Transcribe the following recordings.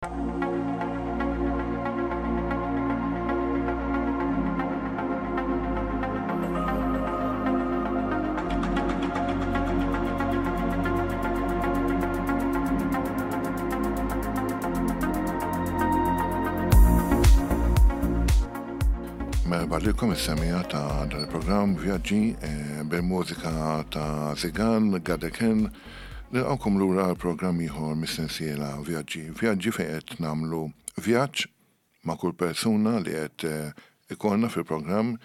Merħba lilkom is-semija ta' dan il-programm Vjaġġi eh, bil-mużika ta' Zigan, Gadeken, Nilqgħukom lura għal programm ieħor mis-sensiela Vjaġġi. Vjaġġi fejn qed nagħmlu vjaġġ ma' kull persuna li qed ikollna fil-programm,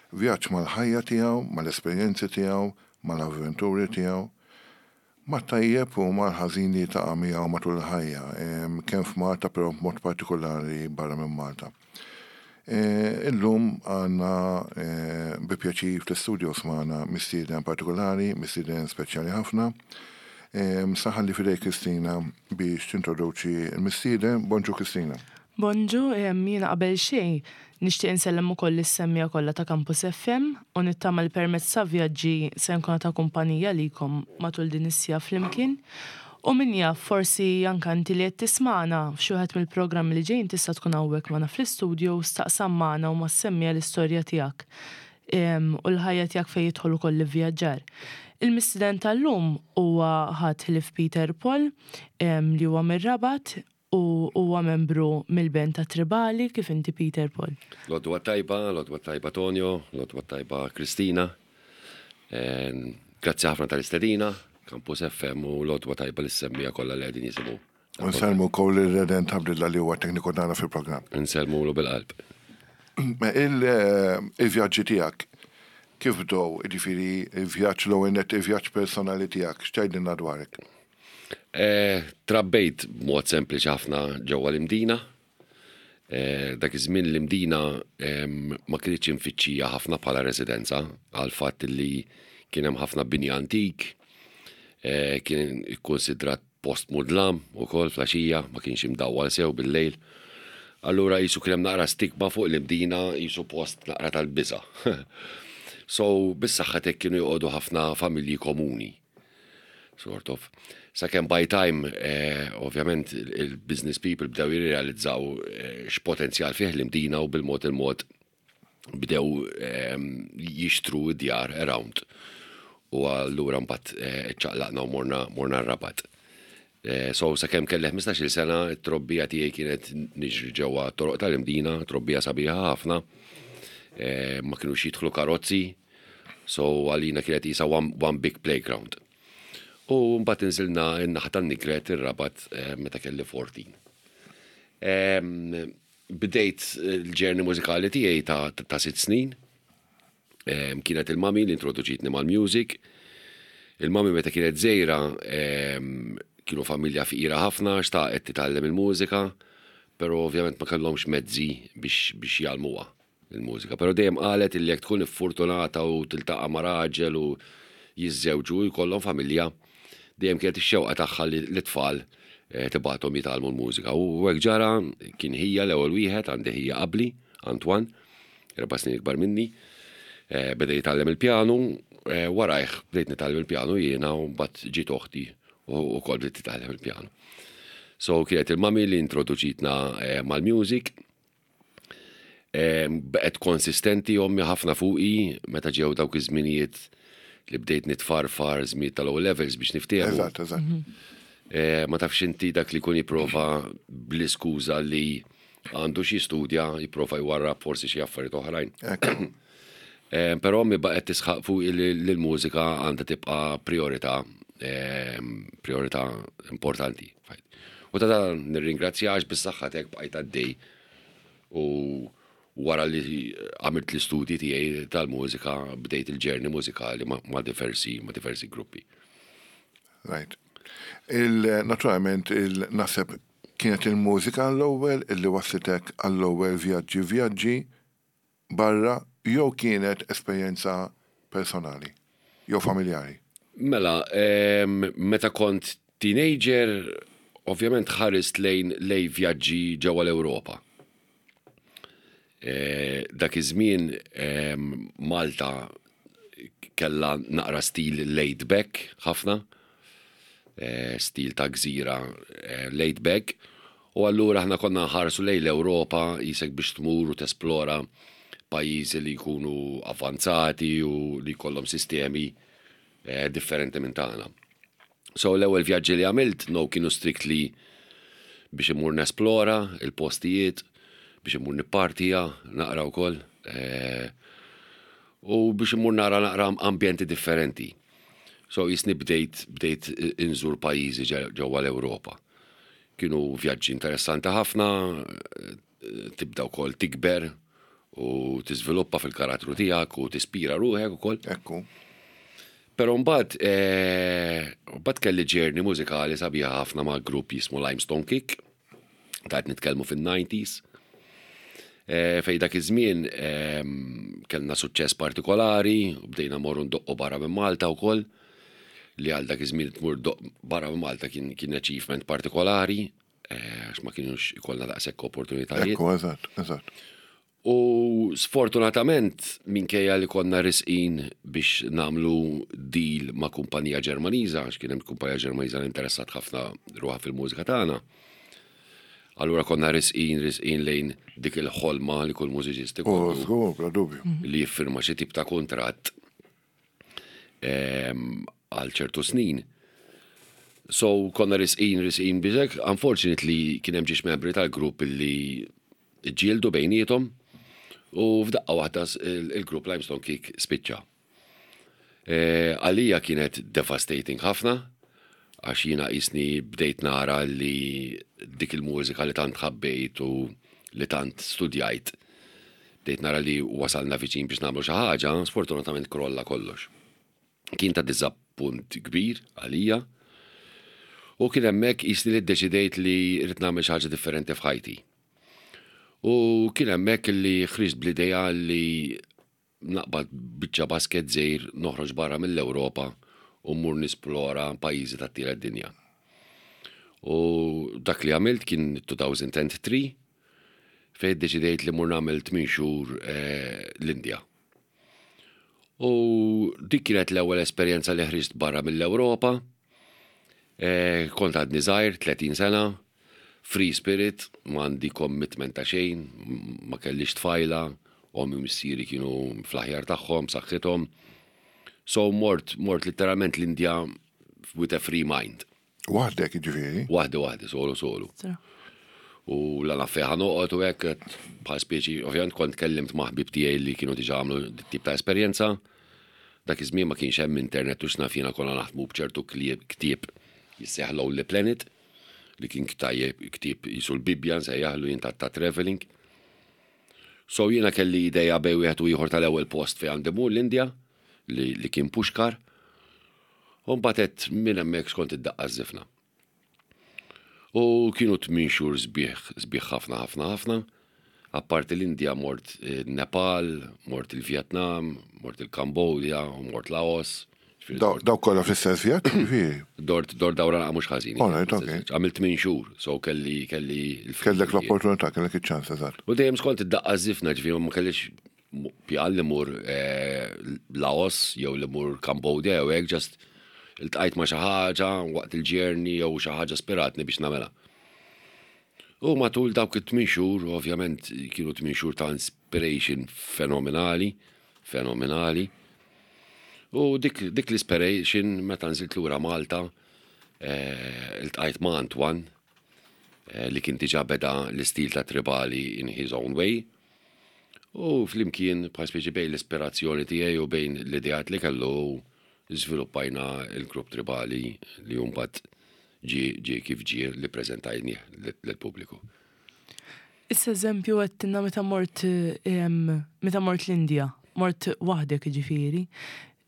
vjaġġ mal-ħajja tiegħu, mal-esperjenzi tiegħu, mal-avventuri tiegħu, mat-tajjeb u mal-ħażin li jiltaqa' miegħu matul il-ħajja, kemm f'Malta però b'mod partikulari barra minn Malta. Illum għandna bi pjaċir fl-istudios magħna mistieden partikolari, mistieden speċjali ħafna. Sa ħalli f'idejk Kristina biex tintroduċi l-mistieden. Bonġu Kristina. Bonġu, jiena qabel xejn nixtieq insellem ukoll lis-semmiegħa kollha ta' Campus FM u nittama li permezz ta' vjaġġi se nkun ta' kumpanija likom matul din is-siegħa flimkien. U min jaf, forsi anke inti li qed tismagħna, f'xi wieħed mill-programmi li ġejjin tista' tkun hawnhekk magħna fl-istudio u staqsam magħna u mas-semmiegħa l-istorja tiegħek u l-ħajja tiegħek fejn jidħol ukoll l-ivvjaġġar. Il-mistieden tal-lum huwa ħadd ħlief Peter Paul li huwa mir-Rabat u huwa membru mill-band ta' Tribali, kif inti Peter Paul? L-għodwa t-tajba, l-għodwa t-tajba Tonio, l-għodwa t-tajba Kristina. Grazzi ħafna tal-istedina, Campus FM u l-għodwa tajba lis-semmiegħa kollha li qegħdin jisimgħu. U nsellmu wkoll lil Redent Abdilla li huwa tekniku tagħna fil-programm. Insellmulu bil-qalb. Il-vjaġġi tiegħek kif bdew, jiġifieri il-vjaġġ l-ewwel nett il-vjaġġ personali tiegħek, x'tgħidilna dwarek? Trabbejt b'mod sempliċi ħafna ġewwa l-Imdina. Dak iż-żmien l-Imdina ma kinitx imfittxija ħafna bħala residenza għall-fatt li kien hemm ħafna bini antik, kien ikkunsidrat post mudlam ukoll fl-għaxija, ma kienx imdawwal sew bil-lejl. Allura qisu kien hemm naqra stigma fuq l-Imdina qisu post naqra tal-biża'. So bis-saħħa t'hekk kienu joqogħdu ħafna familji komuni. Sort of. Sakemm by time, eh, ovvjament, il-business people bdew jirrealizzaw eh, x'potenzjal fih l-imdina u bil-mod il-mod bdew eh, jixtru d-djar around. U allura mbagħad eh, ċaqlaqna u morna morna r-Rabat. Eh, so sakemm kelli 15-il sena, it-trobbija tiegħi kienet niġri ġewwa toroq tal-Imdina, trobbija sabiħa ħafna. Eh, ma kinux jidħlu karozzi, So għalina kienet qisha one, one big playground. U mbagħad inżilna n-naħa tan-Nigret ir-Rabat eh, meta kelli 14. Bdejt l-ġerni mużikali tiegħi ta', ta sitt snin. Kienet il-mami li introduċitni mal-music. Il-mami meta kienet żgħira kienu familja fqira ħafna, xtaqet titgħallem il-mużika, però ovvjament ma kellhomx mezzi biex, biex jgħallmuha. il-mużika. Però dejjem qalet illi jekk tkun iffurtunata u tiltaqa' ma' raġel u jiżżewġu u jkollhom familja, dejjem kienet ix-xewqa tagħha li t-tfal eh, tibgħathom jitgħallmu l-mużika. U hekk ġara, kien ħija l-ewwel wieħed, għandi ħija qabli, Antoine, erba' snin ikbar minni, eh, beda jitgħallem il-pjanu, eh, warajh bdejt nitgħallem il-pjanu jiena u mbagħad ġiet oħti u wkoll bdiet titgħallem il-pjanu. So kienet il-mami li introduċitna mal-music, Baqgħet konsistenti ommi ħafna fuqi meta ġew dawk iż-żminijiet li bdejt nitfarfar żmien tal-O levels biex niftehmu. Eżatt, eżatt. Mhm. Eh, ma tafx inti dak li kun jipprova bl-iskuża li għandu xi studja, jipprova jwarrab forsi xi affarijiet oħrajn. Eh, però mi baqgħet tisħaq fuq li l-mużika għandha tibqa' priorità, eh, priorità importanti. U ta' dan nirringrazzjax bis-saħħa tiegħek bqajt għaddej u wara li għamilt l-istudji tiegħi tal-mużika bdejt il-ġerni mużikali ma' diversi ma' diversi gruppi. Right. Il-naturalment il-naseb kienet il-mużika l-ewwel illi wasslitek għall-ewwel vjaġġi vjaġġi barra jew kienet esperjenza personali jew familjari? Mela, meta kont teenager, ovvjament ħarist lejn lejn vjaġġi ġewwa l-Ewropa. Dak iż-żmien Malta kellha naqra stil laid back ħafna, stil ta' gżira laid back. U allura aħna konna nħarsu lejn l-Ewropa qisek biex tmur u tesplora pajjiżi li jkunu avvanzati u li jkollhom sistemi eh, differenti minn tagħna. So l-ewwel vjaġġi li għamilt no kienu strictly biex imur nesplora il-postijiet, biex imur nippartija, naqra wkoll, eh, u biex imur nara naqra ambjenti differenti. So jisni bdejt bdejt inżur pajjiżi ġewwa l-Ewropa. Kienu vjaġġi interessanti ħafna, tibda wkoll tikber u tiżviluppa fil-karattru tiegħek u tispira ruħek ukoll. Ekku. Però mbagħad eh, mbagħad kelli ġerni mużikali sabiħa ħafna ma' grupp jismu Limestone Kick, ta' qed nitkellmu fin-90s. Eh, fej dak iż-żmien ehm, kellna suċċess partikolari, u bdejna morru ndoqqu barra minn Malta wkoll, li għal dak iż-żmien tmur doq barra minn Malta kien kien achievement partikolari, eh, għax ma kienux ikollna daqshekk opportunitajiet. Ekku, eżatt, eżatt. U sfortunatament, minkejja li konna risqin biex nagħmlu deal ma' kumpanija Ġermaniża, għax kien hemm kumpanija Ġermaniża li interessat ħafna ruħha fil-mużika tagħna, allura konna risqin, risqin lejn dik il-ħolma li kull mużiċist ikollu. Oh, żgur, bla dubju. Li jiffirma xi tip ta' kuntratt ehm, għal ċertu snin. So konna risqin, risqin biex unfortunately kien hemm ġiex membri tal-grupp li Iġġieldu bejniethom u f'daqqa waħda il-grupp Limestone Kick spiċċa. Għalija kienet devastating ħafna għax jiena qisni bdejt nara li dik il-mużika li tant ħabbejt u li tant studjajt bdejt nara li wasalna viċin biex nagħmlu xi ħaġa, sfortunatament krolla kollox. Kien ta' diżappunt kbir għalija u kien hemmhekk qisni li ddeċidejt li rrid nagħmel xi ħaġa differenti f'ħajti. U kien hemmhekk li ħriġt bl-idea li naqbad biċċa basket żgħir noħroġ barra mill-Ewropa u mmur nisplora pajjiżi tat-tielet dinja. U dak li għamilt kien 2003 fejn iddeċidejt li mmur nagħmel 8 xhur eh, l-Indja. U dik kienet l-ewwel esperjenza li ħriġt barra mill-Ewropa. Eh, kont għadni żgħir, 30 sena, free spirit, m'għandi commitment ta' xejn, ma kellix tfajla, ommi u missieri kienu fl-aħjar tagħhom, saħħithom. So mort, mort literalment l-Indja with a free mind. Waħdek jiġifieri? Waħdi waħdi, solo solo. U la naf fejn noqgħod u hekk bħal speċi, ovvjament kont kellimt ma' ħbieb tiegħi li kienu diġà għamlu tip ta' esperjenza. Dak iż-żmien ma kienx hemm internet u x'naf jiena konna naħdmu b'ċertu ktieb jissejjaħ Lonely Planet li kien ktajjeb ktieb jisu l-Bibbja nsejjaħlu jien ta' traveling. So jiena kelli ideja bej wieħed u ieħor tal-ewwel post fejn għandi mur l-Indja li, li kien Pushkar. U mbagħad għedt minn hemmhekk skont id-daqqa żifna. U kienu tmien xhur sbieħ, sbieħ ħafna ħafna ħafna. Apparti l-Indja mort eh, Nepal, mort il-Vjetnam, mort il-Kambodja, mort Laos. Daw kollha fl-istess vjaġġ, ġifieri. Dort dort dawra naqa' mhux ħażin. All right, okay. Għamilt tmien xhur, so kelli kelli Kellek l-opportunità, kellek iċ-ċans eżatt. U dejjem skont id-daqqa żifna, ġifieri ma kellix pjan li mur eh, Laos jew li mur Cambodia jew hekk just iltqajt ma' xi ħaġa waqt il-journey jew xi ħaġa spiratni biex nagħmilha. U matul dawk it-tmien xhur, ovvjament kienu tmien xhur ta' inspiration fenomenali, fenomenali. U dik, dik l-inspiration meta nżilt lura Malta, eh, iltqajt ma' Antoine, eh, li kien diġà beda l-istil ta' tribali in his own way. U flimkien, bħal speċi bejn l-ispirazzjoni tiegħi u bejn l-ideat li kellu żviluppajna l-grupp tribali li mbagħad ġie ġie kif ġie li ppreżentajnieh lill-pubbliku. Issa eżempju għedtilna meta mort meta mort l-Indja, mort waħdek jiġifieri.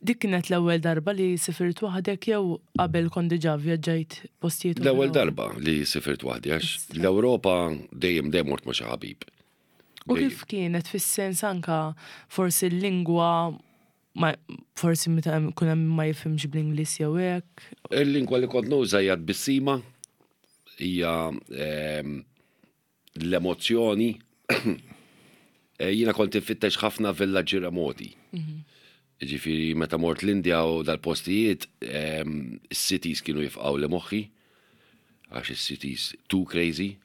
Dik kienet l-ewwel darba li sifirt waħdek jew qabel kont diġà vvjaġġajt postijiet oħra? L-ewwel darba li sifirt waħdi għax l-Ewropa dejjem dejjem mort ma' xi ħabib. U kif kienet fis-sens anka forsi l-lingwa ma forsi meta kun hemm ma jifhimx bl-Ingliż jew hekk? Il-lingwa li kont nuża hija tbissima, hija ehm, l-emozzjoni. Eh, jiena kont infittex ħafna villaġġi remoti. Mhm. Ġifieri meta mort l-Indja u dal-postijiet, ehm, is-cities kienu jifqgħu li moħħi, għax is-cities too crazy.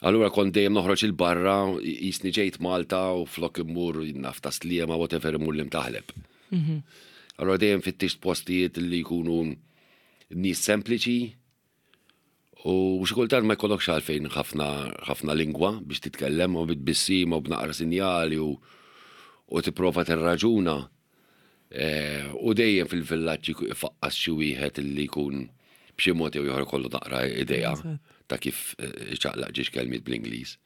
Allura kont dejjem noħroġ il-barra, jisni ġejt Malta u flok immur naf ta' Sliema, whatever immur l-Imtaħleb. Allura dejjem fittixt postijiet li jkunu nies sempliċi u xi kultant ma jkollokx għalfejn ħafna ħafna lingwa biex titkellem u bit-tbissima u b'naqra sinjali u u tipprova tirraġuna. Eh, u dejjem fil-villaġġ ifaqqas xi wieħed li jkun b'xi mod jew ieħor kollu naqra idea ta' kif eh, iċaqlaq ġiex kelmiet bl-Ingliż.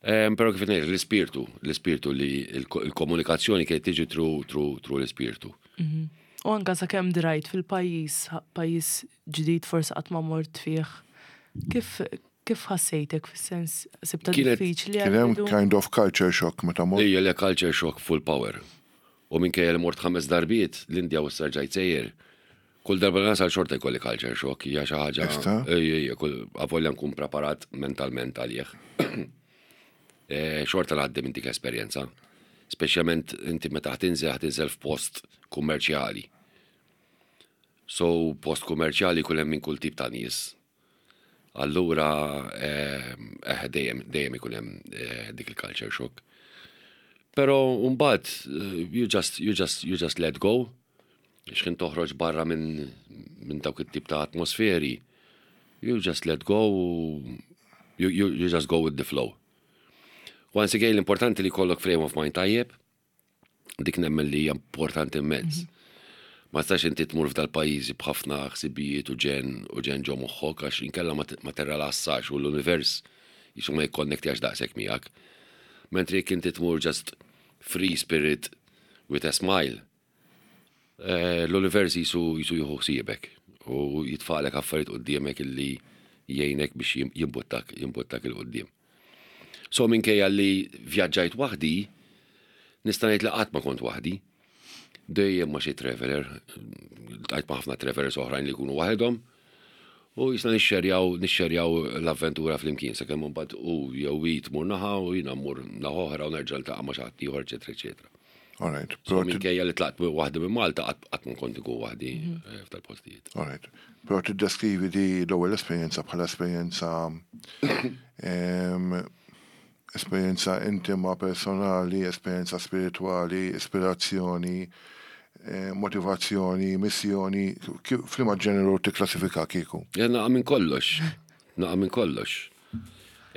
Eh, però kif ngħid l-ispirtu, l-ispirtu li l-komunikazzjoni kienet tiġi tru tru tru l-ispirtu. Mhm. U anka sakemm drajt fil-pajjiż, pajjiż ġdid forsi qatt ma mort fih. Kif kif ħassejtek fis-sens sibta diffiċli? Kien hemm kind of culture shock meta mort. Ejja le culture shock full power. U minkejja li mort ħames darbiet l-Indja u issa rġajt sejjer. Kull darba li nasal xorta jkolli culture shock, hija xi ħaġa. Ejja, ejja, kull avolja nkun preparat mentalment għalih. Eh, xorta ngħaddi minn dik l-esperjenza. Speċjalment inti meta ħtinżel ħtinżel f'post kummerċjali. So post kummerċjali jkun hemm minn kull tip ta' nies. Allura eh, eh, dejjem dejjem ikun hemm eh, dik il-culture shock. Però mbagħad you just you just you just let go. X'ħin toħroġ barra minn min dawk it-tip ta' atmosferi, you just let go, you, you, you just go with the flow. Once again, l-importanti li jkollok frame of mind tajjeb, dik nemmen li hija importanti immens. Mhm. Ma tistax inti tmur f'dal pajjiżi b'ħafna ħsibijiet u ġen u ġen ġo moħħok għax inkella ma terrelassax u l-univers jisu ma jikkonnektjax daqshekk miegħek. Mentri jekk inti tmur just free spirit with a smile, eh, l-univers jisu jisu jieħu ħsiebek u jitfalek affarijiet quddiemek illi jgħinek biex jimbuttak jimbuttak il-qudiem. So minkejja li vjaġġajt waħdi, nista' ngħid li qatt ma kont waħdi. Dejjem ma' xi traveler, ltqajt ma' ħafna travelers oħrajn li jkunu waħedhom. U jisna nixxerjaw nixxerjaw l-avventura flimkien sakemm imbagħad hu jew hi tmur naħa u jiena mmur naħa oħra u nerġa' niltaqa' ma' xi ħadd ieħor, eċetera, eċetera. All right. So minkejja li tlaqt waħdi minn Malta qatt ma kont inkun waħdi mhm. eh, f'tal-postijiet. All right. Però tiddeskrivi di l-ewwel esperjenza bħala esperjenza esperjenza intima, personali, esperjenza spiritwali, ispirazzjoni, eh, motivazzjoni, missjoni, f'liema ġeneru tikklassifika kieku? Ja, naqa' minn kollox. Naqa' minn kollox.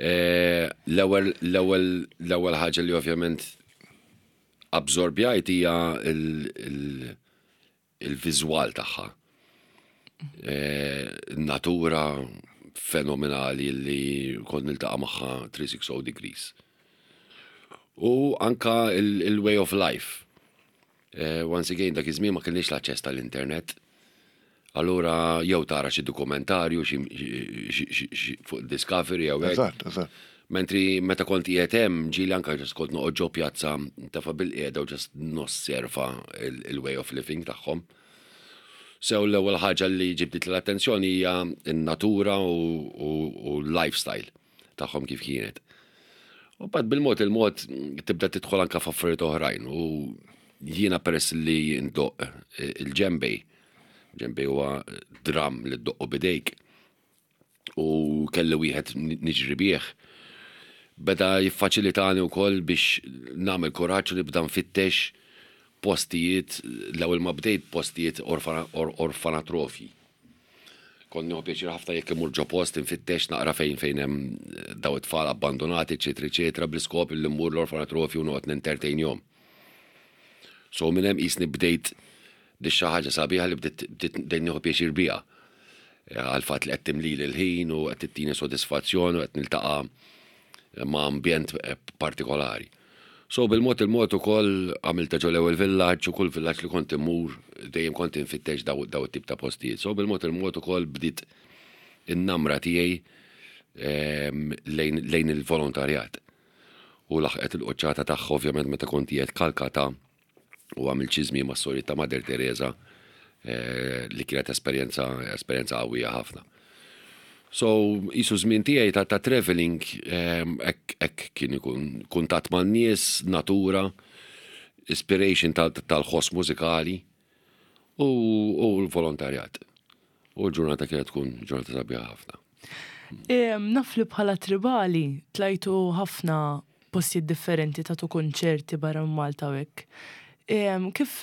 Eh, l-ewwel l-ewwel l-ewwel ħaġa li ovvjament absorbjajt hija il-viżwal tagħha. Eh, natura fenomenali li kont niltaqa' magħha 360 degrees. U anka il-way of life. Eh, once again, dak iż-żmien ma kellniex l-aċċess tal-internet. Allura jew tara xi dokumentarju xi fuq Discovery jew hekk. Eżatt, eżatt. Mentri meta kont qiegħed hemm ġieli anke ġast kont noqgħod ġo pjazza ntefa' bilqiegħda u ġast nosserva il-way of living tagħhom. Sew l-ewwel ħaġa li ġibditli l-attenzjoni hija n-natura u l-lifestyle tagħhom kif kienet. U bad bil-mod il-mod tibda tidħol anke f'affarijiet oħrajn u jiena peress li ndoqq il-ġembej, ġembej huwa drum li ddoqqu bidejk u kelli wieħed niġri bih, beda jiffaċilitani wkoll biex nagħmel kuraġġ u nibda nfittex postijiet, l-ewwel ma bdejt postijiet orfanatrofji. Kont nieħu pjaċir ħafna jekk imur ġo post infittex naqra fejn fejn hemm eh, daw it-tfal abbandonati, eċetera, eċetera, bl-iskop li mmur l-orfanatrofju u noqgħod nentertainjhom. So minn hemm qisni bdejt di xi ħaġa sabiħa li bdiet bdejt nieħu pjaċir biha. Eh, għal fatt li qed timlili l-ħin u qed tittini sodisfazzjon u qed niltaqa' ma' ambjent eh, partikolari. So bil-mod il-mod ukoll għamilta ġo l-ewwel villaġġ u kull villaġġ li kont immur dejjem kont infittex daw it-tip ta' postijiet. So bil-mod il-mod ukoll bdiet in-namra tiegħi ehm, lejn il-volontarjat. U laħqet il-qoċċata tagħha ovvjament meta kont qiegħed Kalkata u għamilt xi żmien mas-sorijiet ta' Mother Teresa eh, li kienet esperjenza esperjenza qawwija ħafna. So, jisu żmien tiegħi ta', ta traveling ehm, hekk kien ikun kuntatt man-nies, natura, inspiration tal-ħoss mużikali u l-volontarjat. U l-ġurnata kienet tkun ġurnata sabiħa ħafna. Naf li bħala tribali tlajtu ħafna postijiet differenti tagħtu kunċerti barra minn Malta u hekk. Kif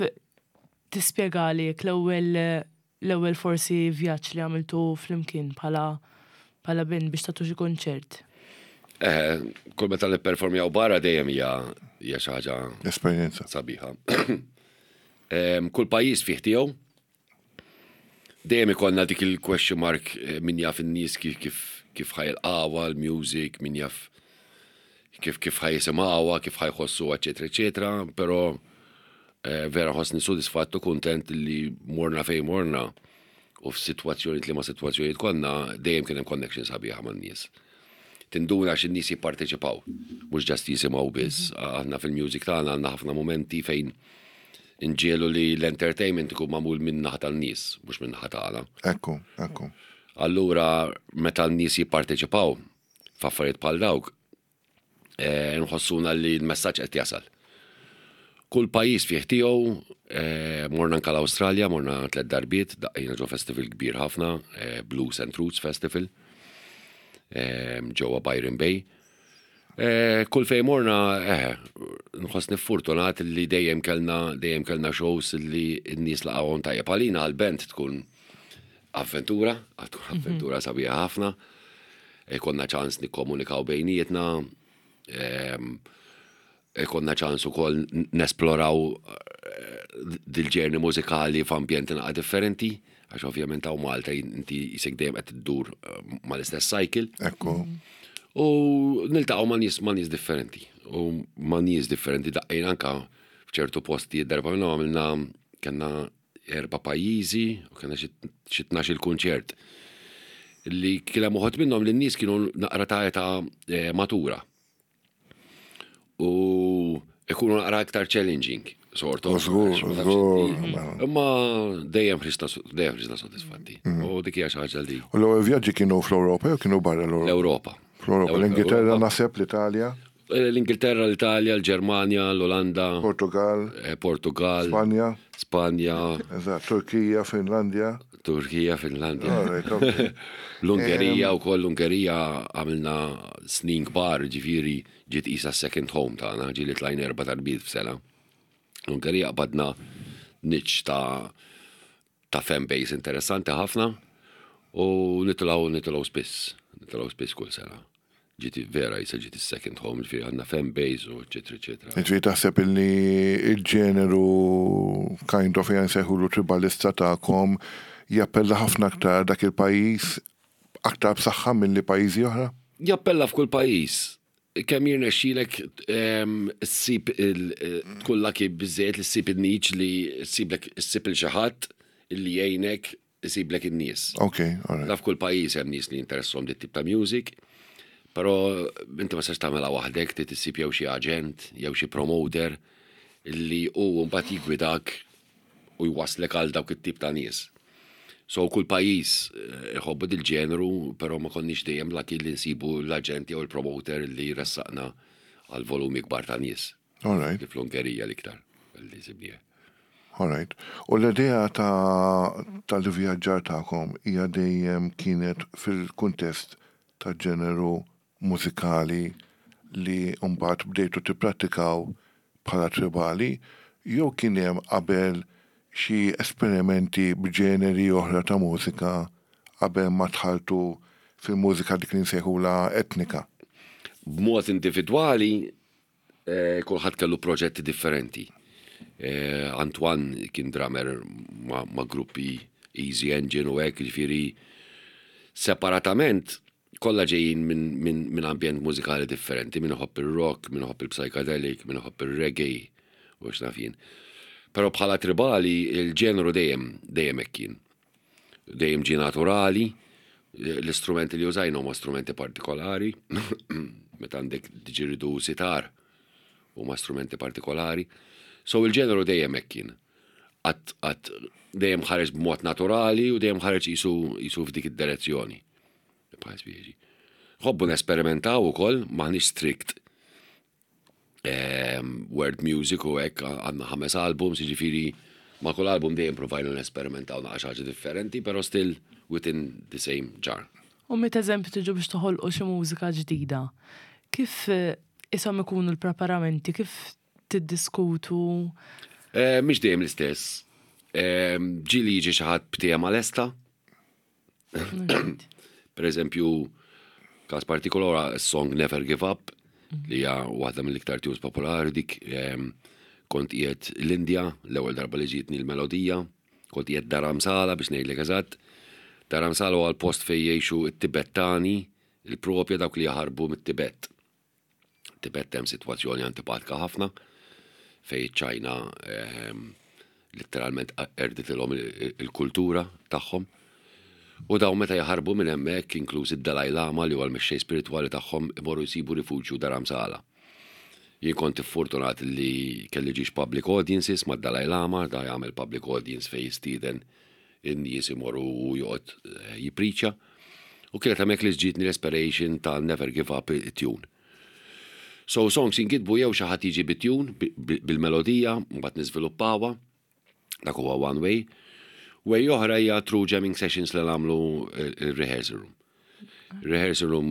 tispjegali jekk l-ewwel l-ewwel forsi vjaġġ li għamiltu flimkien bħala bħala band biex tagħtu xi kunċert? Eh, kull meta nipperformjaw barra dejjem hija hija xi ħaġa Esperjenza. sabiħa. Kull pajjiż fih tiegħu. Dejjem ikollna dik il-question mark eh, min jaf in-nies kif kif kif ħajlqawha l-music, min jaf kif kif ħajisimgħuha, kif ħajħossuha, eċetera, eċetera, però eh, vera ħossni sodisfatt u kuntent li morna fejn morna u f'sitwazzjonijiet li ma sitwazzjonijiet konna dejjem kien hemm connection sabiħa man-nies. Tinduna għax in-nies jipparteċipaw, mhux ġast jisimgħu biss. Aħna fil-music tagħna għandna ħafna momenti fejn inġiegħlu li l-entertainment ikun magħmul minn naħa tan-nies, mhux minn naħa tagħna. Ekku, ekku. Allura meta n-nies jipparteċipaw f'affarijiet bħal dawk, eh, nħossuna li l-messaġġ qed jasal. Kull pajjiż fih tiegħu, eh, morna anka l-Awstralja, morna tliet darbiet, daqqejna ġo festival kbir ħafna, eh, Blues and Roots Festival, ġewwa Byron Bay. Kull fejn morna, eh, nħossni fortunat li dejjem kellna dejjem kellna shows li n-nies laqgħuhom tajjeb. Għalina għall-band tkun avventura, tkun mhm. avventura sabiħa ħafna. Konna ċans nikkomunikaw bejnietna, ehm, Ikollna ċans ukoll nesploraw dil-ġerni mużikali f'ambjenti naqa' differenti, għax ovvjament hawn Malta inti jisek dejjem qed iddur eh, mal-istess cycle. Ekku. U niltaqgħu ma' nies ma' nies differenti. U ma' nies differenti daqqejna anka f'ċertu postijiet darba minnhom għamilna kellna erba' pajjiżi u kellna xi 12 il-kunċert li kien hemm uħud minnhom li n-nies kienu naqra ta' età eh, matura. U ikunu naqra iktar challenging, sort of. Żgur, żgur. Imma dejjem ħriġna dejjem ħriġna sodisfatti. Mm. U dik hija xi ħaġa li. U l-ewwel vjaġġi kienu fl-Ewropa jew kienu barra l-Ewropa? L-Ewropa. Fl-Ewropa, l-Ingilterra naħseb l-Italja. Eh, L-Ingilterra, l-Italja, l-Ġermanja, l-Olanda. Portugal. Eh, Portugal. Spanja. Spanja. Eżatt, Turkija, Finlandja. Turkija, Finlandja. L-Ungerija u koll l-Ungerija għamilna snin kbar, ġifiri ġiet isa second home tagħna, ġieli tlajna erba' darbiet f'sena. L-Ungerija qbadna niċ ta' ta' fan base interessanti ħafna u nitilgħu nitilgħu spiss, nitilgħu spiss kull sena. Ġiet vera jisa ġiet is-second home, ġifieri għandna fan base u eċetera eċetera. Ġifieri taħseb illi il-ġeneru kind of ejja nsejħulu tribalista tagħkom jappella ħafna aktar dak il-pajjiż aktar b'saħħa milli pajjiżi oħra? Jappella f'kull pajjiż. Kemm jirnexxilek ehm, ssib il tkun lucky biżżejjed li ssib in-niche li ssiblek issib il xi ħadd illi jgħinek isiblek in-nies. Ok, all right. Naf kull pajjiż hemm nies li jinteressom dit tip ta' music, però inti ma sax tagħmilha waħdek, trid issib jew xi aġent, jew xi promoter li hu mbagħad jiggwidak u jwasslek għal dawk it-tip ta' nies. So kull pajjiż eh, iħobbu dil-ġeneru, però ma konniex dejjem lucky li nsibu l-aġent jew il-promoter li jressaqna għal volumi kbar ta' nies. All right. Li fl-Ungerija l-iktar li sibnieh. All right. U l-idea ta' tal-ivvjaġġar tagħkom hija dejjem kienet fil-kuntest ta' ġeneru mużikali li mbagħad bdejtu tipprattikaw bħala tribali jew kien hemm qabel xi esperimenti b'ġeneri oħra ta' mużika qabel ma dħaltu fil-mużika dik li nsejħulha etnika? B'mod individwali Eh, kulħadd kellu proġetti differenti. Eh, Antoine kien drummer ma, ma gruppi Easy Engine u hekk, ġifieri separatament kollha ġejjin minn min, min ambjent mużikali differenti, min iħobb ir-rock, min iħobb il-psychedelic, min iħobb ir-reggae, u x'naf jien. Però bħala tribali il-ġeneru dejjem dejjem hekk kien. Dejjem ġie naturali, l-istrumenti li użajna huma strumenti partikolari, meta għandek didgeridoo sitar huma strumenti partikolari. So il-ġeneru dejjem hekk kien. Qatt qatt dejjem ħareġ b'mod naturali u dejjem ħareġ qisu qisu f'dik id-direzzjoni. Bħal spieġi. Ħobbu nesperimentaw ukoll, m'aħniex strict Ehm, world music u hekk għandna ħames albums, jiġifieri ma' kull album dejjem provajna nesperimentaw naqra xi ħaġa differenti, però still within the same jar. U meta eżempju tiġu biex toħolqu xi mużika ġdida, kif ishom ikunu l-preparamenti, kif tiddiskutu? Mhix dejjem l-istess. Ġieli jiġi xi ħadd b'tema lesta. Per eżempju, każ partikolari s-song Never Give Up, li hija waħda mill-iktar tunes popolari dik kont qiegħed l-Indja, l-ewwel darba li ġietni l-melodija, kont qiegħed Dharamsala biex ngħidlek eżatt. Dharamsala huwa l-post fejn jgħixu t-Tibettani, il-propja dawk li jaħarbu mit-Tibet. Tibet hemm sitwazzjoni antipatika ħafna fejn iċ-Ċajna letteralment erditilhom il-kultura tagħhom. U dawn meta jaħarbu minn hemmhekk, inkluż id-Dalai Lama li huwa l-mexxej spiritwali tagħhom, imorru jsibu rifuġju Dharamsala. Jien kont iffortunat li kelli ġiex public audiences mad-Dalai Lama, da jagħmel public audience fejn jistieden in-nies imorru u joqgħod jippriċja. U kienet hemmhekk li ġietni l-inspiration ta' Never Give Up it-tune. So songs jinkitbu jew xi ħadd jiġi bit-tune, bil-melodija, mbagħad niżviluppawha. Dak huwa one way. Way oħra hija through jamming sessions li nagħmlu il-rehearsal room. Rehearsal room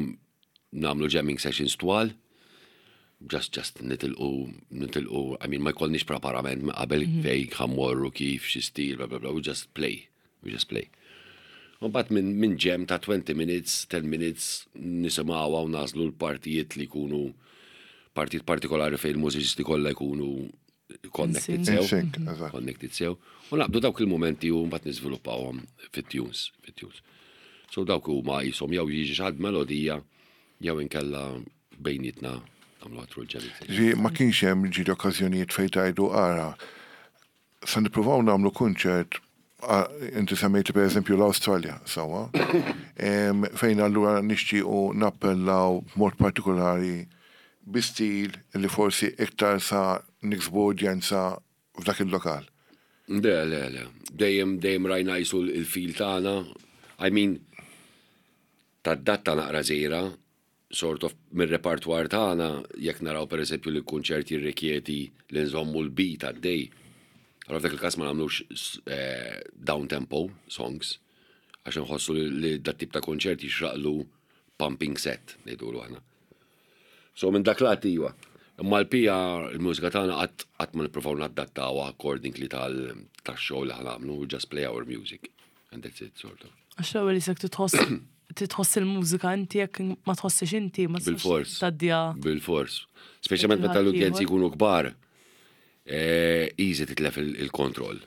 nagħmlu jamming sessions twal, just nitilqu, nitilqu, I mean, ma jkollniex preparament minn qabel fejn ħa mmorru kif, xi stil, bla bla bla, we just play, we just play. U mbagħad minn jam ta' 20 minutes, 10 minutes, nisimgħuha u nagħżlu l-partijiet li jkunu partijiet partikolari fejn il-mużiċisti kollha jkunu connected sew. In sync, eżatt. Connected sew. U naqbdu dawk il-momenti u mbagħad niżviluppawhom fit-tunes, fit-tunes. So dawk huma jisom jew jiġi xi ħadd melodija jew inkella bejnietna nagħmlu għatru l-ġemmi. Ġi ma kienx hemm ġieli okkażjonijiet fejn tgħidu ara sa nippruvaw nagħmlu kunċert, inti semmejti per eżempju l-Awstralja, sewwa, fejn allura nixtiequ nappellaw b'mod partikolari bi stil li forsi iktar sa niksbu udjenza f'dak il-lokal. Le, le, le. Dejjem, dejjem rajna jisu il-feel tagħna. I mean, tadatta naqra żgħira, sort of mir-repertoire tagħna, jekk naraw per eżempju li l-kunċert jirrikjedi li nżommu l-beat għaddej. Allora f'dak il-każ ma nagħmlux down tempo songs, għax nħossu li dat tip ta' konċert jixraqlu pumping set, ngħidulu aħna. So minn dak lat iva. Imma l-pija, il-mużika tagħna qatt ma nippruvaw nadattawha accordingly tax-show li ħa nagħmlu, we just play our music. And that's it, sort of. Għax l-ewwel jisek titħoss il-mużika inti, jekk ma tħossix inti, ma tistax Bil-fors. tgħaddiha. Bil-fors. Speċjalment meta l-udjenzi jkunu kbar, easy titlef il-kontroll.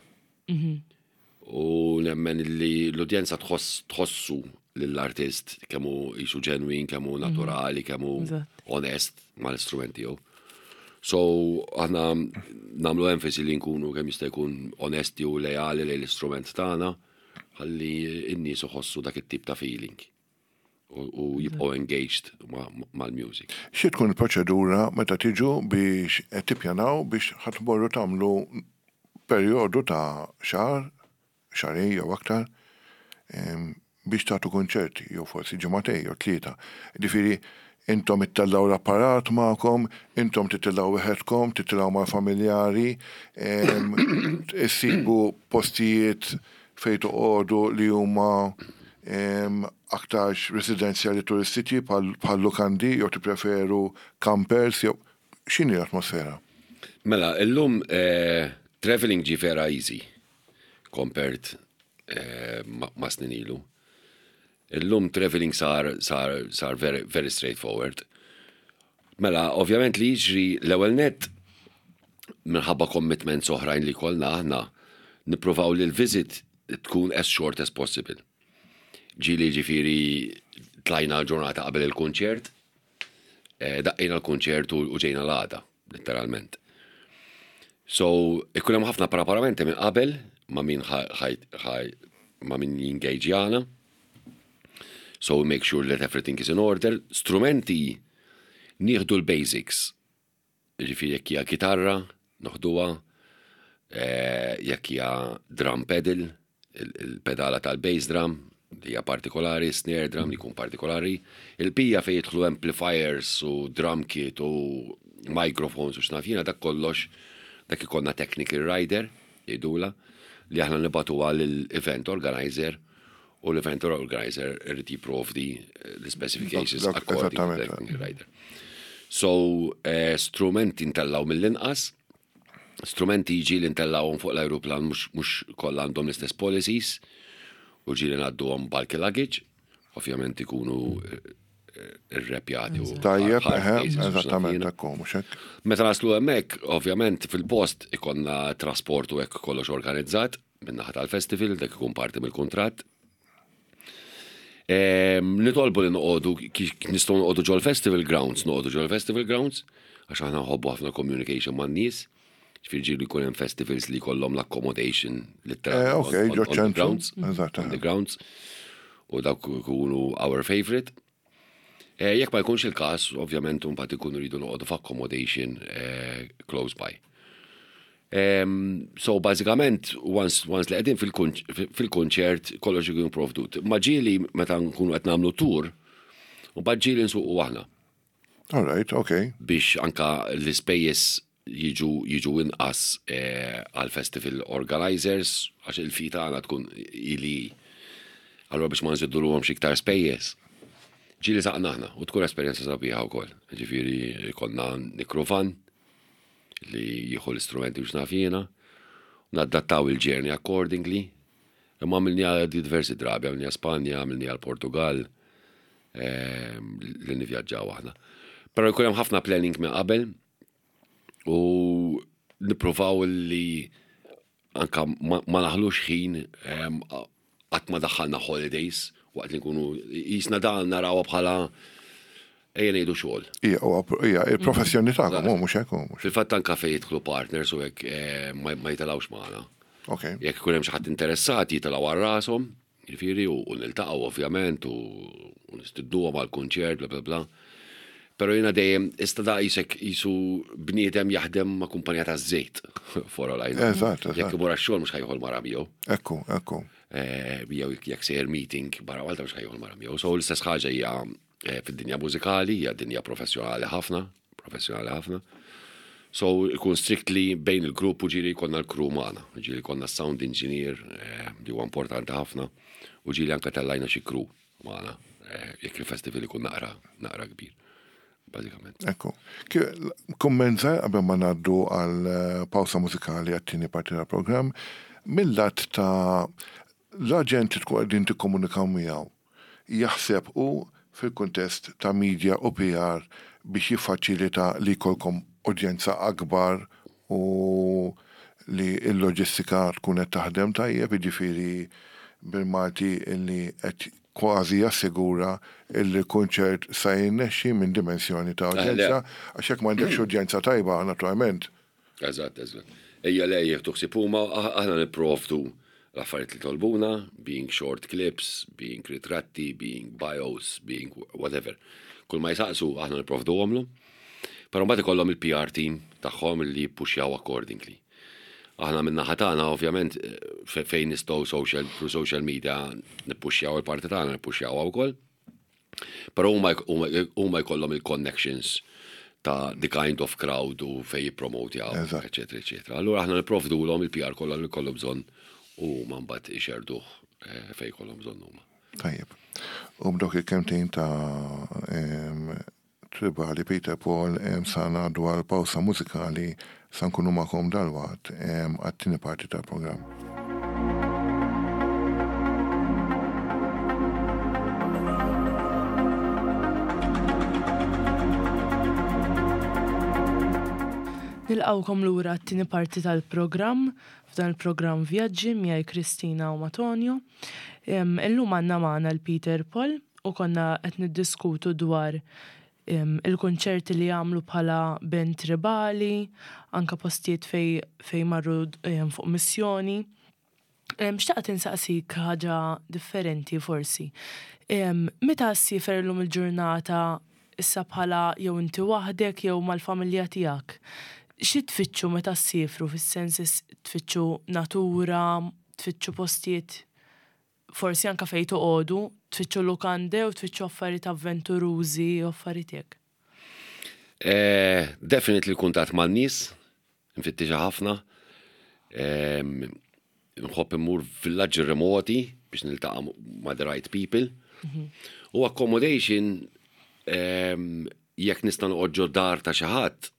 U nemmen li l-udjenza tħossu lill-artist kemm hu jisu ġenwin, kemm hu naturali, kemm hu onest mal-istrument tiegħu. So aħna nagħmlu enfasi li nkunu kemm jista' jkun onesti u lejali lejn l-istrument tagħna ħalli n-nies iħossu dak it-tip ta' feeling u jibqgħu engaged mal-music. Xi tkun il-proċedura meta tiġu biex tippjanaw biex ħa tmorru tagħmlu perjodu ta' xahar, xahrejn jew aktar biex tagħtu konċerti jew forsi ġimagħtejn jew 3? Ġifieri intom ittellgħu l-apparat magħkom, intom titilgħu weħedkom, titilgħu mal-familjari, issibu postijiet fejn toqogħdu li huma aktarx residenzjali turistiċi bħal lukandi jew tippreferu campers jew x'inhi l-atmosfera? Mela, illum traveling ġi vera easy compared ma' snin ilu. Illum traveling sar very, very straightforward. Mela, ovvjament li jiġri l-ewwel net minħabba commitments oħrajn li kollna aħna nippruvaw li l-visit tkun as short as possible. Ġieli ġifieri tlajna l-ġurnata qabel il-kunċert, daqqejna l-kunċert u ġejna l-għada, letteralment. So, ikun hemm ħafna preparamenti minn qabel ma' min ma' min jingaġjana. So we make sure that everything is in order. Strumenti nieħdu l-basics. Ġifieri jekk hija kitarra, noħduha, jekk hija drum pedal, il-pedala tal-bass drum, li hija partikolari, snare drum li jkun partikolari, il-pija fejn jidħlu amplifiers u drum kit u microphones u x'naf jiena, dak kollox, dak ikollna technical rider, jgħidula, li aħna nibagħtuha lill-event organizer. U l-event organizer irid jipprovdi eh, l-specifications according to the technical rider. So, eh, strumenti ntellaw mill-inqas, strumenti ġieli ntellawhom fuq l-ajruplan mhux kollha għandhom l-istess policies u ġieli ngħadduhom bulky luggage, ovvjament ikunu eh, irrepjati u Tajjeb, eżattament, ekku, mhux hekk. Meta naslu hemmhekk, ovvjament fil-post ikonna trasport u hekk kollox organizzat min-naħa tal-festival, dak ikun parti mill-kuntratt. Ehm, nitolbu li noqogħdu nistgħu noqogħdu ġol-festival grounds, noqogħdu ġol-festival grounds, għax aħna nħobbu ħafna communication man-nies. Ġifieri ġieli jkun hemm festivals li jkollhom l-accommodation literalment. Eh, ok, ġo grounds. On the grounds. U dawk ikunu our favorite. Eh, jekk ma jkunx il-każ, ovvjament mbagħad ikunu rridu noqogħdu f'accommodation eh, close by. Um, so bażikament once, once li qegħdin fil-kunċert kollox ikun provdut. Ma ġieli meta nkunu qed nagħmlu tour, u mbagħad ġieli nsuqu aħna. All right, okay. Biex anka l-ispejjeż jiġu jiġu inqas eh, għal festival organizers għax il-fee tagħna tkun ili. Allura biex ma nżidulhomx iktar spejjeż. Ġieli saqna aħna u tkun esperjenza sabiħa wkoll. Ġifieri konna nikru van li jieħu l-istrumenti biex naf jiena, nadattaw il-journey accordingly. Imma għamilniha diversi drabi, għamilniha Spanja, għamilniha l-Portugal, ehm, li nivvjaġġaw aħna. Però jkun hemm ħafna planning minn qabel u nippruvaw li anka ma naħlux ħin ehm, qatt ma daħħalna holidays waqt li nkunu jisna dan narawha bħala ejja ngħidu xogħol. Ija, il-professjoni tagħkom, mhux hekk. Fil-fatt anka fejn jidħlu partners u hekk eh, ma jitilgħux magħna. Okay. Jekk ikun hemm xi ħadd interessat jitilgħu għal rashom, jiġifieri u niltaqgħu ovvjament u nistidnuhom għal kunċert bla bla bla. Però jiena dejjem ista da qisek qisu bniedem jaħdem ma' kumpanija taż-żejt for all I know. Eżatt, eżatt. Jekk imur għax-xogħol mhux ħa jieħu l-mara miegħu. Ekku, ekku. Eh, jew jekk sejjer meeting barra Malta mhux ħa jieħu l-mara miegħu. So l-istess ħaġa hija eh, fid-dinja mużikali, hija dinja professjonali ħafna, professjonali ħafna. So ikun strictly bejn il-grupp u ġieli jkollna l-crew magħna, ġieli jkollna sound engineer eh, li huwa importanti ħafna u ġieli anke tellajna xi crew magħna eh, jekk il-festival ikun naqra naqra kbir. Bażikament. Ekku. Kumment żgħir qabel ma ngħaddu għal eh, pawsa mużikali għat-tieni parti tal-programm, mill-lat ta' l-aġent li tkun qegħdin tikkomunikaw miegħu jaħseb hu fil-kuntest ta' media u PR biex jiffaċilita li jkollkom udjenza akbar u li l-loġistika tkun qed taħdem tajjeb, jiġifieri bil-Malti li qed kważi jassigura li l-kunċert sa jirnexxi minn dimensjoni ta' udjenza, għax jekk m'għandekx udjenza tajba, naturalment. Eżatt, eżatt. Ejja le jieħdu ħsieb huma, aħna nipprovdu l-affarijiet li tolbuna, being short clips, being ritratti, being bios, being whatever. Kull ma jsaqsu aħna nipprovduhomlu. Però mbagħad ikollhom il-PR team tagħhom li jippuxjaw accordingly. Aħna minn naħa tagħna ovvjament fejn nistgħu social through social media nippuxjaw il-parti tagħna nippuxjawha wkoll. Però huma huma jkollhom il-connections ta' the kind of crowd u fejn jippromotjaw, eċetera, eċetera. Allura aħna nipprovdulhom il-PR kollha li jkollhom bżonn u huma mbagħad ixerduh eh, fejn jkollhom bżonn huma. Tajjeb. U b'dawk il-kemtejn ta' Tribali Peter Paul sa ngħaddu għal pawsa mużikali sa nkunu magħkom dalwaqt għat-tieni parti tal-programm. Nilqgħukom lura għat-tieni parti tal-programm, f'dan il-programm Vjaġġi miegħi Kristina u ma' Tonio. Illum għandna magħna l-Peter Paul u konna qed niddiskutu dwar il-kunċerti li għamlu bħala band tribali, anka postijiet fej, fej marru fuq missjoni. Xtaqt insaqsik ħaġa differenti forsi. Meta ssiefer illum il-ġurnata issa bħala jew inti waħdek jew mal-familja tiegħek, xi tfittxu meta ssiefru fis-sens tfittxu natura, tfittxu postijiet forsi anke fejn toqogħdu, tfittxu lukande u tfittxu affarijiet avventurużi u affarijiet hekk? Eh, definitely kuntatt man-nies, nfittixha ħafna. Nħobb immur villaġġi remoti biex niltaqa' ma' the right people. U accommodation jekk nista' noqgħod ġo dar ta' xi ħadd,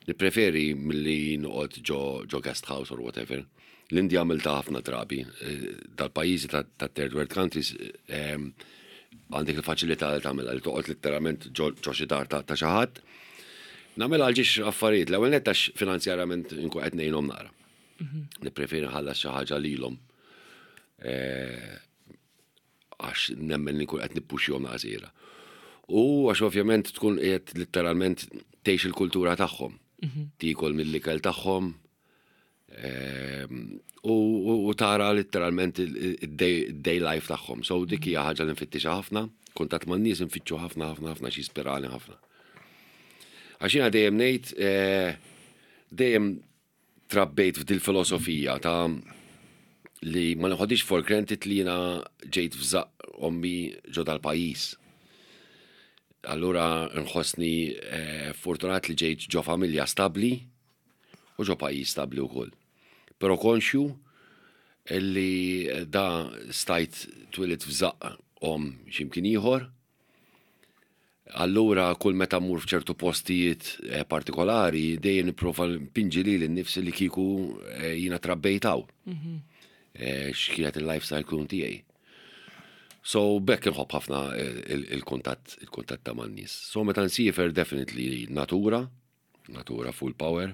nippreferi milli noqgħod ġo ġo guest house or whatever. L-Indja għamiltha ħafna drabi. Dal-pajjiżi ta' third world countries għandek il-faċilità li tagħmilha li toqgħod litteralment ġo xi dar ta' xi ħadd. Nagħmilha għal ġiex affarijiet. L-ewwel nett għax finanzjarjament inkun qed ngħinhom naqra. Nippreferi nħallas xi ħaġa lilhom għax nemmen li nkun qed nippuxjhom naqra. U għax ovvjament tkun qiegħed litteralment tgħix il-kultura tagħhom. Tiekol mill-ikel tagħhom u tara litteralment il-day life tagħhom. So dik hija ħaġa li nfittixha ħafna, kuntatt man-nies nfittxu ħafna ħafna ħafna xi jispirani ħafna. Għax jiena dejjem ngħid dejjem trabbejt f'dil filosofija ta' li ma neħodix for granted li jiena ġejt f'żaqq ommi ġo dal-pajjiż. Allura nħossni fortunat li ġejt ġo familja stabbli u ġo pajjiż stabbli wkoll. Però konxju li da stajt twilidt f'żaqq omm x'imkien ieħor. Allura kull meta mmur f'ċertu postijiet partikolari dejjem nipprova npinġi lili nnifsi li kieku jiena trabbejt hawn. X'kienet il-lifestyle kun tiegħi. So b'hekk inħobb ħafna il-kuntatt il-kuntatt ta' man-nies. So meta nsiefer definitely natura, natura full power.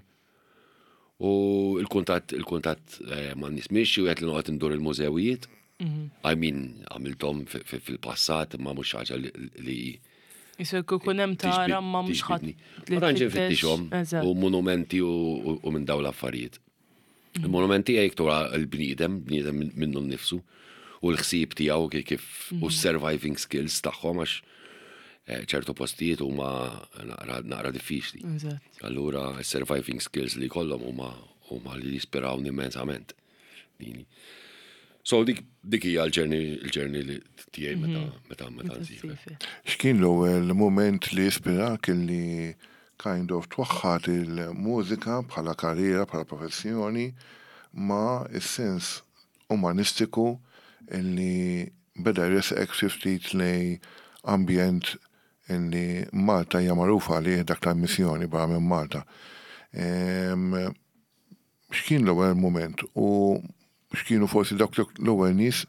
U il-kuntatt il-kuntatt man-nies mhix xi wieħed li noqgħod indur il-mużewijiet. I mean, għamilthom fil-passat imma mhux ħaġa li Jisir ikun hemm tara ma mhux ħadd. Ma tantx infittixhom u monumenti u minn dawn l-affarijiet. Il-monumenti hija iktar l-bniedem, bniedem minnu nnifsu u l-ħsieb tiegħu kif u surviving skills tagħhom għax ċertu postijiet huma naqra diffiċli. Allura surviving skills li jkollhom huma huma li jispirawni immensament. Dini. So dik dik hija l-journey l-journey li tiegħi meta meta meta nsiefer. X'kien l-ewwel moment li ispirak li kind of twaħħad il-mużika bħala karriera, bħala professjoni ma' is-sens umanistiku li beda jresqek xi ftit lejn ambjent illi Malta hija magħrufa għalih dak tal-missjoni barra minn Malta. X'kien l-ewwel moment u x'kienu forsi dawk l-ewwel nies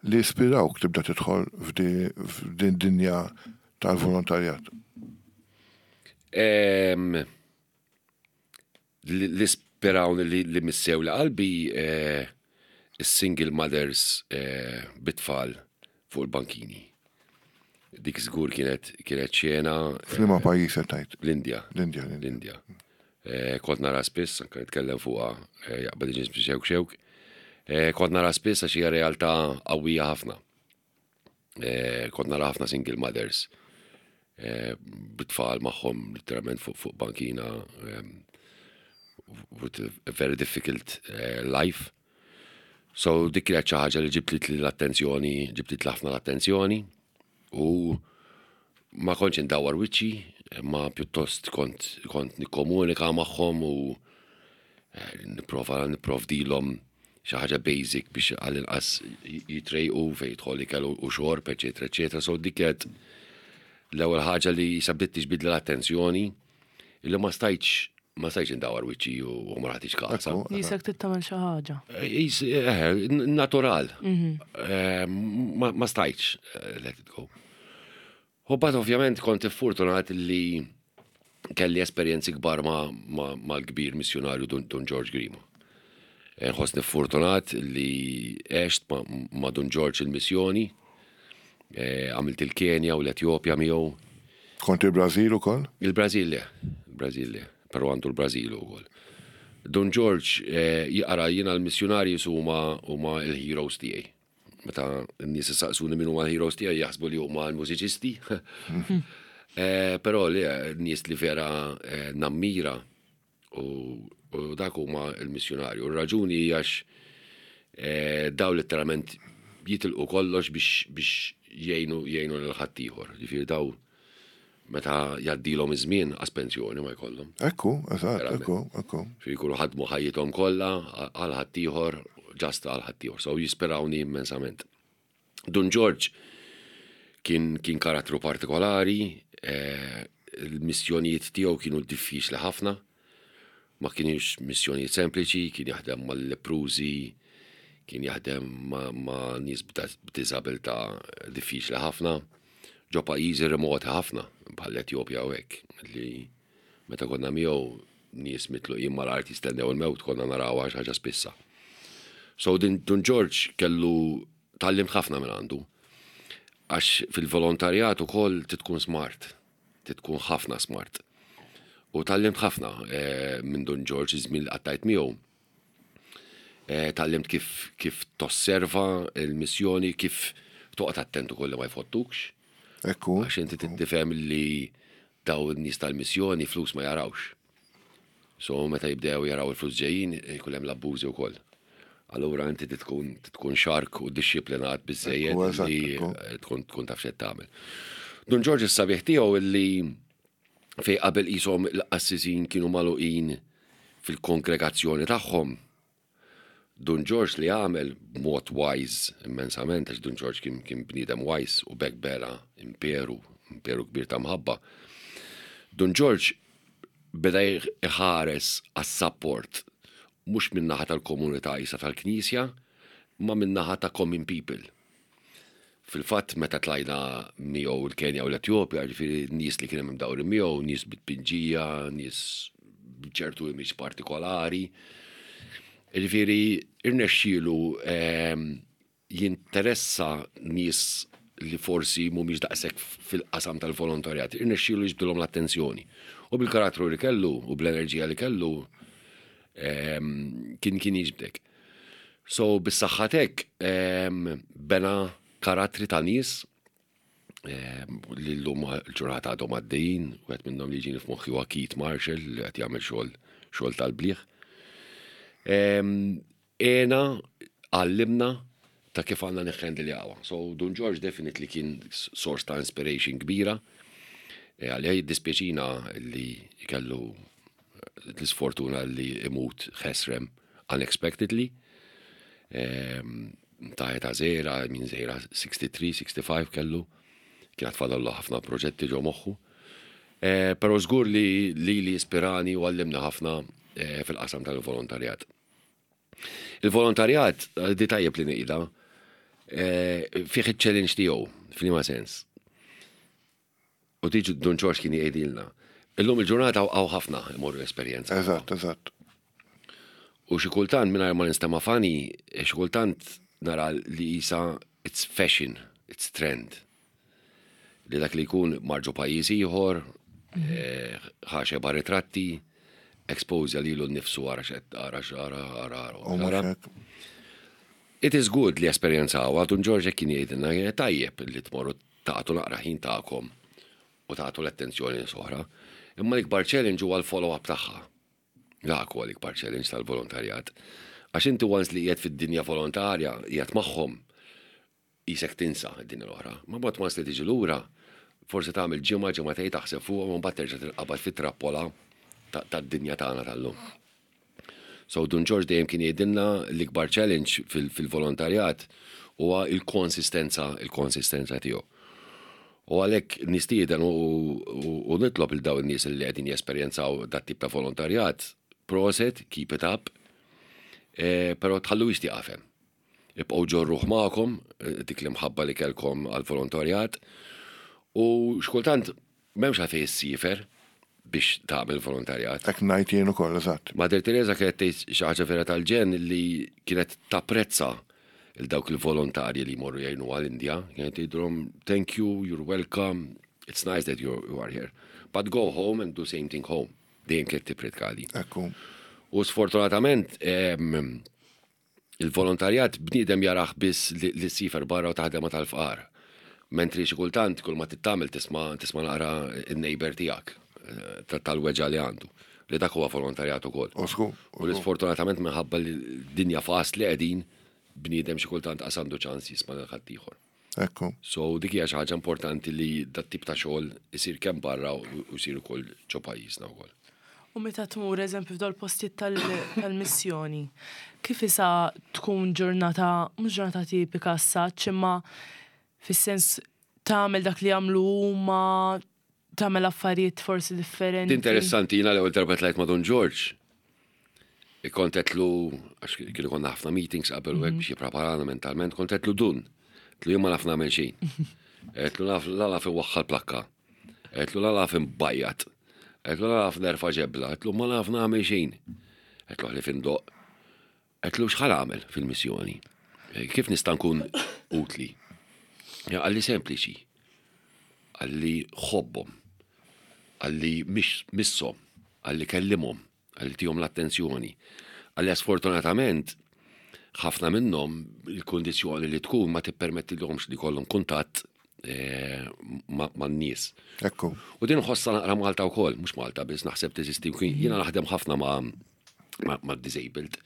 li ispirawk tibda tidħol f'din dinja tal-volontarjat? Li ispirawni li missew li qalbi is-single mothers bit-tfal fuq il-bankini. Dik żgur kienet kienet xena. F'liema pajjiż qed tgħid? L-Indja. L-Indja. L-Indja. Kont nara spiss, anke nitkellem fuqha jaqbad iġismi xewk xewk. Kont nara spiss għax hija realtà qawwija ħafna. Kont nara ħafna single mothers bit-tfal magħhom literalment fuq bankina with a very difficult life. So dik kienet xi ħaġa li ġibtli l-attenzjoni, ġibtli ħafna l-attenzjoni u ma kontx indawwar wiċċi, ma pjuttost kont kont nikkomunika magħhom u nipprova nipprovdilhom xi ħaġa basic biex għall-inqas jitrejqu fejn jidħol ikel u xorb, eċetera, eċetera. So dik kienet l-ewwel ħaġa li sa bdiet tiġbidli l-attenzjoni illi ma stajtx indawwar wiċċi u ma nagħtix kasa. Jisek tittamel xi ħaġa. Natural. Ma stajtx let it go. U but ovvjament kont fortunat li kelli esperjenzi kbar mal-kbir missjonarju Dun George Grima. Nħossni fortunat li għext ma' Dun George il-missjoni, għamilt il-Kenja u l-Etjopja miegħu. Kont il-Brażil ukoll? Il-Brażil le, il-Brażil le, però għandu l-Brażil ukoll. Dun George jaqra jiena l-missjonarji huma huma l-heroes tiegħi. Meta n-nies saqsuni min huma l-heroes tiegħi jaħsbu li huma l-mużiċisti. Però li n-nies li vera nammira u dak huma l-missjonarju. U r-raġuni għax daw letteralment jitilqu kollox biex jgħinu jgħinu lil ħaddieħor. Ġifieri daw. Meta jgħaddilhom iż-żmien qas pensjoni ma jkollhom. Ekku, eżatt, ekku, ekku. Xi jkunu ħadmu ħajjithom kollha għal ħaddieħor, ġast għal ħaddieħor. So jispirawni immensament. Dun Ġorġ kien, kien karattru partikolari, eh, il-missjonijiet tiegħu kienu diffiċli ħafna, ma kienx missjonijiet sempliċi, kien jaħdem mal-leprużi, kien jaħdem ma', ma nies b'diżabilità diffiċli ħafna, ġo pajjiżi remoti ħafna, bħal Etjopja u hekk, li meta konna miegħu nies mitluqin mal-art jistennew il-mewt konna narawha xi ħaġa spissa. So din Dun Ġorġ kellu tgħallimt ħafna minn għandu. Għax fil-volontarjat ukoll trid tkun smart, trid tkun ħafna smart. U tgħallimt ħafna eh, minn Dun Ġorġ iż-żmien li qattajt miegħu. Eh, tgħallimt kif kif tosserva l-missjoni, kif toqgħod attent ukoll li ma jfottukx. Ekku. Għax inti tifhem li daw in-nies tal-missjoni flus ma jarawx. So meta jibdew jaraw il-flus ġejjin, ikun hemm l-abbużi wkoll. Allura inti tkun tkun xark u dixxiplinat biżejjed li tkun tkun taf x'qed tagħmel. Dun Ġorġ is-sabiħ tiegħu li fej qabel qishom il-qassisin kienu magħluqin fil-kongregazzjoni tagħhom, Dun Ġorġ li għamel b'mod wise immensament, għax Dun Ġorġ kien, kien bniedem wise u b'hekk bena imperu, imperu kbir ta' mħabba. Dun Ġorġ beda jħares għas-sapport mhux min-naħa tal-komunità isa tal-Knisja, ma min-naħa ta' common people. Fil-fatt meta tlajna miegħu l-Kenja u l-Etjopja, ġifieri nies li kien hemm imdawrin miegħu, nies bit-tpinġija, nies b'ċertu image partikolari. Ġifieri irnexxielu ehm, jinteressa nies li forsi mhumiex daqshekk fil-qasam tal-volontarjat, irnexxielu jiġbdilhom l-attenzjoni. U bil-karattru li kellu u bl-enerġija li kellu ehm, kien kien jiġbdek. So bis-saħħa t'hekk bena karattri ta' nies li llum l-ġurnata għadhom għaddejjin, wieħed minnhom li jiġini f'moħħi huwa Keith Marshall li qed jagħmel xogħol xogħol tal-bliħ. Għena għallimna ta' kif għandna niħħendiljawa. So Dun George definitely kien source ta' inspiration kbira. E, għalija jiddispjaċina li kellu l-isfortuna li imut ħesrem unexpectedly. Ehm, ta' eta zera, minn zera 63, 65 kellu, kien għatfadallu ħafna proġetti ġo moħħu. Eh, pero żgur li li li ispirani u għallimna ħafna eh, fil-qasam tal-volontarjat. Il-volontarjat, eh, di tajjeb li ngħidha, fih iċ-challenge tiegħu, f'liema sens. U diġ Dun Ġorġ kien jgħidilna. Illum il-ġurnata hawn ħafna imorru esperjenza. Eżatt, eżatt. U xi kultant mingħajr ma nistema' funny, xi kultant nara li isa it's fashion, it's trend. Li dak li jkun marġu pajjiż ieħor, mhm. eh, ħa xeba ritratti, expose lilu nnifsu ara x'qed ara x'ara ara ara. It is good li esperjenzaw, Dun Ġorġ kien jgħidilna tajjeb li tmorru tagħtu naqra ħin tagħkom u tagħtu l-attenzjoni nies oħra. Imma l-ikbar challenge huwa l-follow-up tagħha. Dak huwa l-ikbar challenge tal-volontarjat. Għax inti once li qiegħed fid-dinja volontarja, qiegħed magħhom, qisek tinsa d-dinja l-oħra. Ma mbagħad once li tiġi lura, forsi tagħmel ġimgħa, ġimgħatejn taħseb fuqhom u mbagħad terġa' tinqabad fit-trappola tad-dinja tagħna tal-lum. So Dun Ġorġ dejjem kien jgħidilna l-ikbar challenge fil-volontarjat huwa il-konsistenza, il-konsistenza tiegħu. U għalhekk nistieden u nitlob il dawn in-nies li qegħdin jesperjenzaw dat tip ta' volontarjat, proset, keep it up, eh, però tħallu tieqaf hemm. Ibqgħu ġorruh magħkom eh, dik l-imħabba li kellkom għal-volontarjat u xkultant M'hemmx għalfejn issiefer biex tagħmel volontarjat. Hekk ngħid jien ukoll, eżatt. Mother Teresa kienet tgħid xi ħaġa vera tal-ġenn li kienet tapprezza il dawk il-volontarji li jmorru jgħinu għall-Indja. Kienet tgħidilhom thank you, you're welcome, it's nice that you are here. But go home and do same thing home. Dejjem kienet tippritka li. Ekku. U sfortunatament Il-volontarjat bniedem jarah biss li ssifer barra u taħdem ma' tal-fqar. Mentri xi kultant kull ma trid tagħmel tisma' tisma' naqra n-neighbour tiegħek eh, tal-weġgħa li għandu. Li dak huwa volontarjat ukoll. U li sfortunatament minħabba li dinja fast li qegħdin bniedem xi kultant qas għandu ċans jisma' lil ħaddieħor. Ekku. So dik hija xi ħaġa importanti li dat-tip ta' xogħol isir kemm barra u jsir ukoll ġo pajjiżna wkoll. U meta tmur eżempju f'dawn il-postijiet tal-missjoni, kif isa tkun ġurnata, mhux ġurnata tipika as-such, imma fis-sens tagħmel dak li jagħmlu huma, tagħmel affarijiet forsi differenti. Interessanti, jiena l-ewwel darba tlajt ma' Dun Ġorġ, kont għedtlu, għax kien ikollna ħafna meetings qabel u hekk biex jippreparana mentalment, kont għedtlu Dun, għedtlu jien ma naf nagħmel xejn. Għedtlu naf la naf inwaħħal plakka. Għedtlu la naf inbajjat. Għedtlu la naf nerfa' ġebla. Għedtlu ma naf nagħmel xejn. Għedtlu ħlief indoqq. Għedtlu x'ħa nagħmel fil-missjoni? Kif nista' nkun utli? Qalli sempliċi. Qalli ħobbhom. Qalli misshom. Qalli kellimhom. Qalli tihom l-attenzjoni. Qalli sfortunatament ħafna minnhom il-kundizzjoni li tkun ma tippermettilhomx li jkollhom kuntatt eh, man-nies. Ekku. U din ħossa naqra Malta wkoll, mhux Malta biss naħseb teżisti. Jiena naħdem ħafna ma' ma' disabled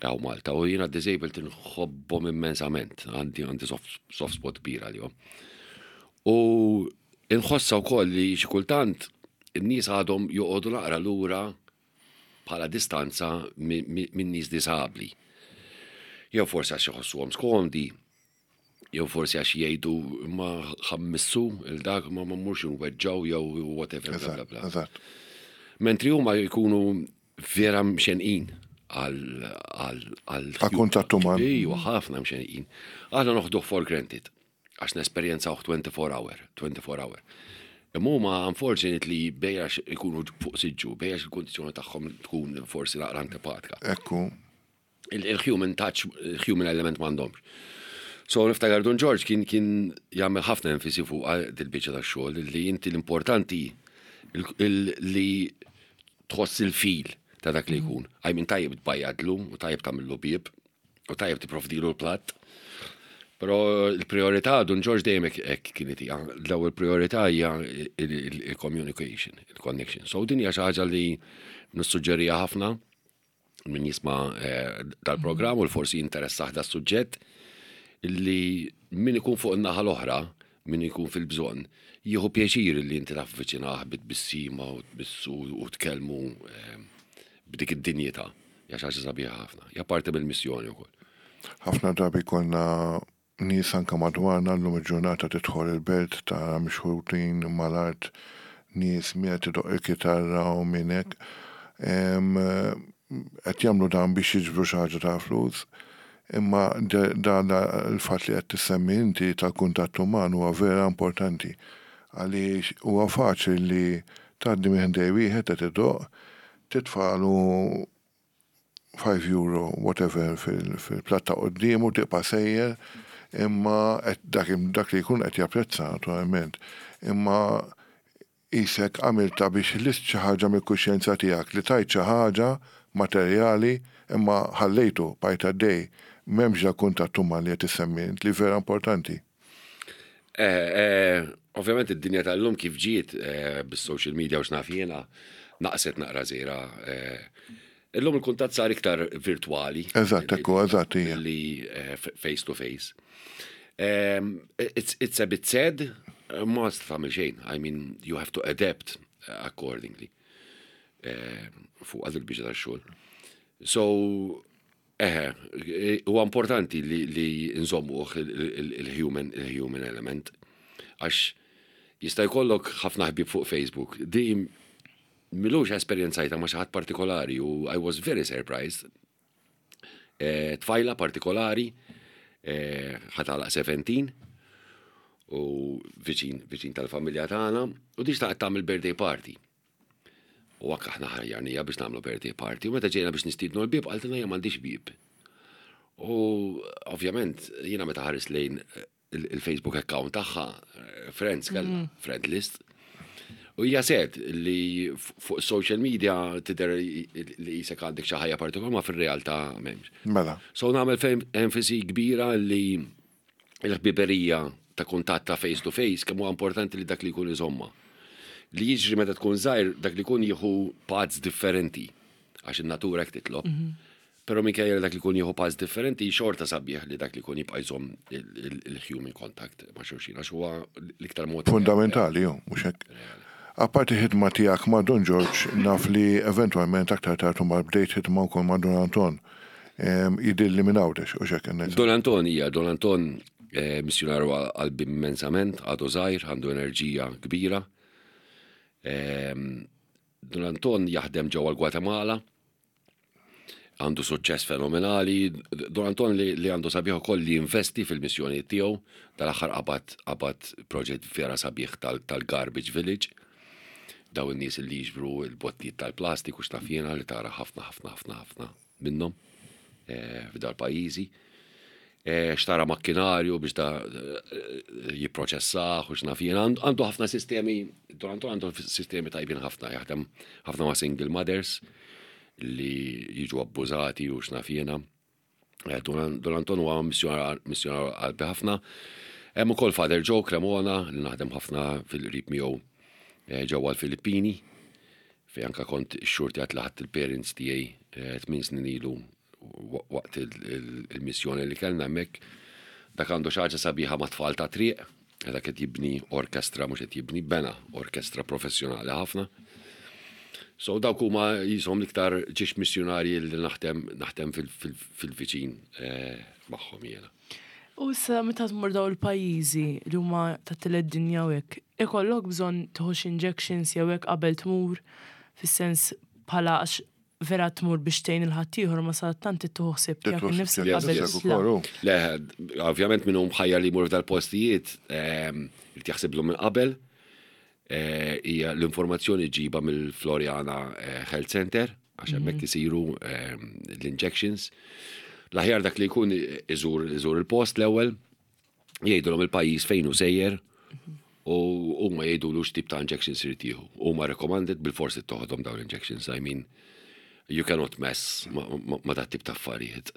għaw Malta u jiena disabled nħobbhom immensament, għandi għandi soft, soft spot kbir għalihom. U inħossa wkoll li xi kultant in-nies għadhom joqogħdu naqra lura bħala distanza minn nies disabbli. Jew forsi għax iħossuhom skomdi, jew forsi għax jgħidu ma ħammissu il-dak ma ma mmurx nweġġaw jew whatever bla bla bla. Mentri huma jkunu vera mxenqin għal għal kuntatt uman. Ejwa, ħafna mxenqin. Aħna noħduh for granted għax nesperjenzawh 24 hour, 24 hour. Imma huma unfortunately bejjax ikunu fuq siġġu, bejjax il-kondizzjoni tagħhom tkun forsi naqra antipatika. Ekku. Il-human touch, il-human element m'għandhomx. So niftakar Dun George kien kien jagħmel ħafna enfisi fuq dil-biċċa tax-xogħol li inti l-importanti li tħoss il-fil ta' dak li jkun. I mean tajjeb tbajjadlu u tajjeb tagħmillu bieb u tajjeb tipprovdilu l-platt. Però l-priorità Dun George dejjem hekk kienet hija. L-ewwel priorità hija il-communication, il-connection. So din hija xi ħaġa li nissuġġerija ħafna min jisma' eh, dal-programm u l-forsi jinteressah da suġġett li min ikun fuq in-naħa l-oħra, min ikun fil-bżonn, jieħu pjaċir li inti tavviċinah bit-tbissima u tmissu u tkellmu eh, b'dik id-dinjità. Hija xi ħaġa sabiħa ħafna. Hija parti mill-missjoni wkoll. Ħafna drabi konna Nies anke madwarna llum il-ġurnata tidħol il-belt tara mixħutin mal-art nies min qed idoqq il-kitarra u min hekk. Qed jagħmlu dan biex jiġbru xi ħaġa ta' flus. Imma dan il-fatt li qed tissemmi inti tal-kuntatt uman huwa vera importanti. Għaliex huwa faċli li tgħaddi minn ħdej wieħed qed idoqq, titfagħlu 5 euro whatever fil-platt ta' quddiemu tibqa' sejjer imma dak dak li jkun qed japprezza naturalment. Imma qisek għamiltha biex ħlist xi ħaġa mill-kuxjenza tiegħek li tajt xi ħaġa materjali imma ħallejtu bqajt għaddej. M'hemmx dal-kuntatt uman li qed issemmi int li vera importanti. Eh, eh, ovvjament id-dinja tal-lum kif ġiet eh, bis-social media u x'naf jiena naqset naqra żira. Illum il-kuntatt sar iktar virtwali. Eżatt, ekku, eżatt, hija. Li face to face. Ehm, it's, it's a bit sad, ma tagħmel xejn. I mean, you have to adapt accordingly. Fuq għad il-biġa tax-xogħol. So, Eħe, huwa importanti li, li nżommuh il-human il-human element. Għax jista' jkollok ħafna ħbieb fuq Facebook. Di milux esperjenzajta ma' xi ħadd partikolari u I was very surprised. Eh, tfajla partikolari, eh, ħa tagħlaq 17 u viċin, viċin tal-familja tagħna u di xtaqet tagħmel birthday party. U anke aħna ħajjarnija biex nagħmlu birthday party. U meta ġejna biex nistiednu l-bieb qaltilna jien m'għandix bieb. U ovvjament jiena meta ħares lejn il-Facebook account tagħha, eh, friends kellha, mm. friend list. U hija sed li fuq social media tidher li jisek għandek xi ħajja partikolari ma fir-realtà m'hemmx. Mela. So nagħmel enfasi kbira li il-ħbiberija ta' kuntatt ta' face to face kemm huwa importanti li dak li jkun iżommha. Li jiġri meta tkun żgħir dak li jkun jieħu paths differenti għax in-natura hekk titlob. Mhm. Però minkejja li dak li jkun jieħu pass differenti, xorta sabiħ li dak li jkun jibqa' jżomm il-human contact ma' xulxin għax huwa l-iktar mod Fundamentali, hu, mhux hekk? Apparti ħidma tiegħek ma' Dun Ġorġ, naf li eventwalment aktar tard imbagħad bdejt ħidma wkoll ma' Dun Anton. Jidhirli minn Għawdex, hux hekk ngħid? Dun Anton, hija, Dun Anton missjunarju qalbi immensament, għadu żgħir, għandu enerġija kbira. Dun Anton jaħdem ġewwa l-Gwatemala. Għandu suċċess fenomenali. Don Anton li, li għandu sabiħ ukoll li jinvesti fil-missjonijiet tiegħu. Tal-aħħar qabad qabad proġett vera sabiħ tal-Garbage Village. Daw in-nies li jiġbru l-bottijiet tal-plastik u x'naf jiena li tara ħafna ħafna ħafna ħafna minnhom eh, f'dal pajjiżi. Eh, xtara makkinarju biex da eh, jipproċessah u x'naf jien. Għandu ħafna sistemi, Don Anton għandu sistemi tajbin ħafna, jaħdem ħafna ma' single mothers li jiġu abbużati u x'naf jiena. Eh, Don Anton huwa missjonar qalbi ħafna. Hemm ukoll Father Joe Cremona li naħdem ħafna fil-qrib miegħu ġewwa l-Filippini fejn anka kont xxurtjat li ħadt il-parents tiegħi tmien snin ilu waqt il-missjoni li kellna hemmhekk. Dak għandu xi ħaġa sabiħa mat-tfal ta' triq, dak qed jibni orkestra mhux qed jibni bena orkestra professjonali ħafna. So dawk huma jisom l-iktar ġiex missjonarji li naħdem naħdem fil-viċin eh, magħhom jiena. U issa meta tmur daw il-pajjiżi li huma tat-tielet dinja u hekk, ikollok bżonn tieħu xi injections jew hekk qabel tmur fis-sens bħala għax vera tmur biex tgħin il-ħaddieħor ma sadattant trid tieħu ħsieb tiegħek innifsek qabel titlaq. Le, ovvjament min hu mħajjar li jmur f'dal-postijiet ehm, irid jaħsiblu minn qabel. Eh, hija l-informazzjoni ġiba mill-Floriana eh, Health Center għax hemmhekk mhm. isiru ehm, l-injections. L-aħjar dak li jkun iżur iżur il-post l-ewwel, jgħidulhom il-pajjiż fejn hu sejjer u huma jgħidulu x'tip ta' injections irid jieħu. Huma recommended bil-forsi toħodhom dawn l-injections. I mean, you cannot mess ma dat tip ta' affarijiet.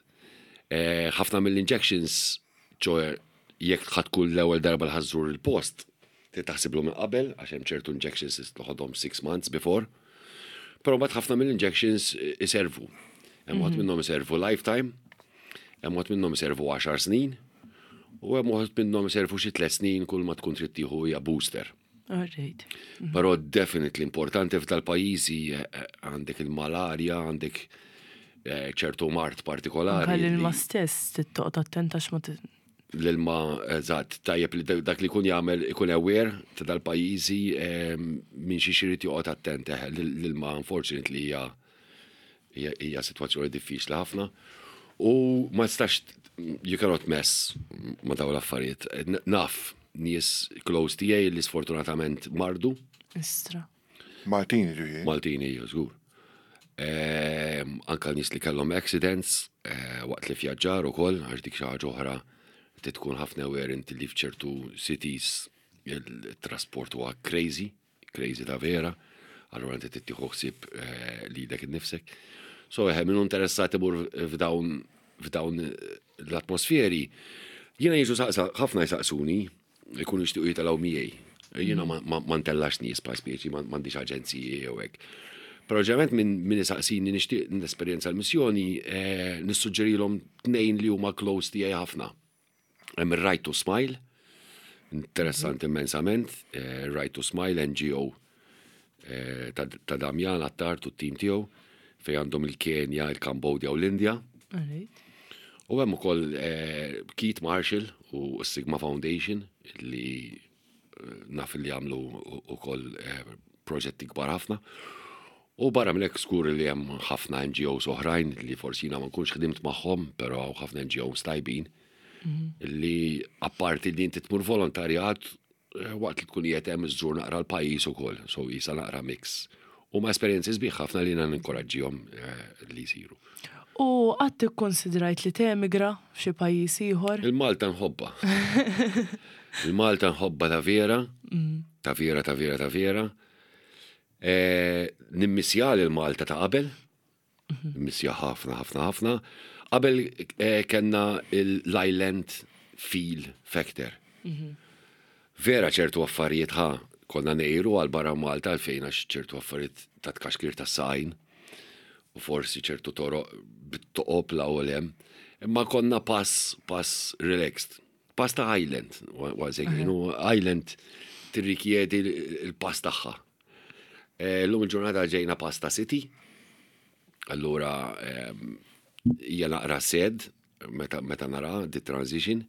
Eh, ħafna mill-injections, ċoħe, jekk ħadd kull l-ewwel darba li ħażżur il-post, trid taħsiblu minn qabel, għax hemm ċertu injections li toħodhom six months before. Però mbagħad ħafna mill-injections iservu. Hemm waħd mhm. minnhom iservu lifetime, hemm waħd minnhom iservu 10 snin, u hemm waħd minnhom iservu xi tliet snin kull ma tkun trid tieħu hija booster. Alright. Mhm. Però definitely importanti f'dal-pajjiżi eh, eh, għandek il-malarja, għandek eh, ċertu mart partikolari. Anke l-ilma stess tittoqgħod attent għax ma L-ilma, eżatt, tajjeb li dak li jkun jagħmel ikun aware ta' dal-pajjiżi ehm, minn xi xirid joqgħod attent eh, l-ilma unfortunately hija hija sitwazzjoni diffiċli ħafna u ma tistax you cannot mess ma dawn l-affarijiet. Naf nies close tiegħi li sfortunatament mardu. Istra. Maltini ġifieri. Maltini, żgur. Ehm, anka nies li kellhom accidents eh, waqt li vjaġġar ukoll, għax dik xi ħaġa oħra trid tkun ħafna aware inti li f'ċertu cities il-trasport huwa crazy, crazy ta' vera, allura inti trid tieħu ħsieb eh, lilek innifsek. So eħe, minnu interessat imur f'dawn f'dawn l-atmosferi, jiena jiġu saqsa, ħafna jsaqsuni, ikunu jixtiequ jitilgħu miegħi. Jiena ma ntellax nies pa' speċi, m'għandix aġenziji jew hekk. Però ġeneralment minn min isaqsini nixtieq nesperjenza l-missjoni, eh, nissuġġerilhom tnejn li huma close tiegħi ħafna. Hemm ir-Right to Smile, interessanti immensament, eh, Right to Smile NGO eh, ta' Damjan Attard u t-tim tiegħu fejn għandhom il-Kenja, il-Kambodja u l-Indja. U hemm ukoll eh, Keith Marshall u Sigma Foundation li eh, naf li għamlu ukoll proġetti kbar ħafna. U barra minn hekk skur li hemm ħafna NGOs oħrajn li forsi jiena ma nkunx ħdimt magħhom, però hawn ħafna NGOs tajbin mhm. li apparti li inti tmur volontarjat Eh, waqt li tkun qiegħed hemm iżżur naqra l-pajjiż ukoll, so jisa naqra mix. U ma esperjenzi sbieħ ħafna li jiena ninkoraġġihom eh, li jsiru. U qatt ikkonsidrajt li temigra f'xi pajjiż ieħor? Il-Malta nħobba. Il-Malta nħobba ta' vera, mm. ta' vera, ta' vera, ta' vera. Eh, Nimmissja l-Malta ta' qabel, Missja ħafna, ħafna, ħafna. Qabel eh, kellna l-Island Feel Factor. Mhm. Vera ċertu affarijiet ħa konna nejru għal barra Malta għalfejn għax ċertu affarijiet ta' tkaxkir ta' sajn. U forsi ċertu toroq bit-toqob 'l hawn u 'l hemm. Imma konna pass, pass relaxed. Pass ta' island, once again, u island tirrikjedi l-pass tagħha. Eh, llum il-ġurnata ġejna pass ta' city, allura ehm, hija naqra sad meta, meta nara di transition,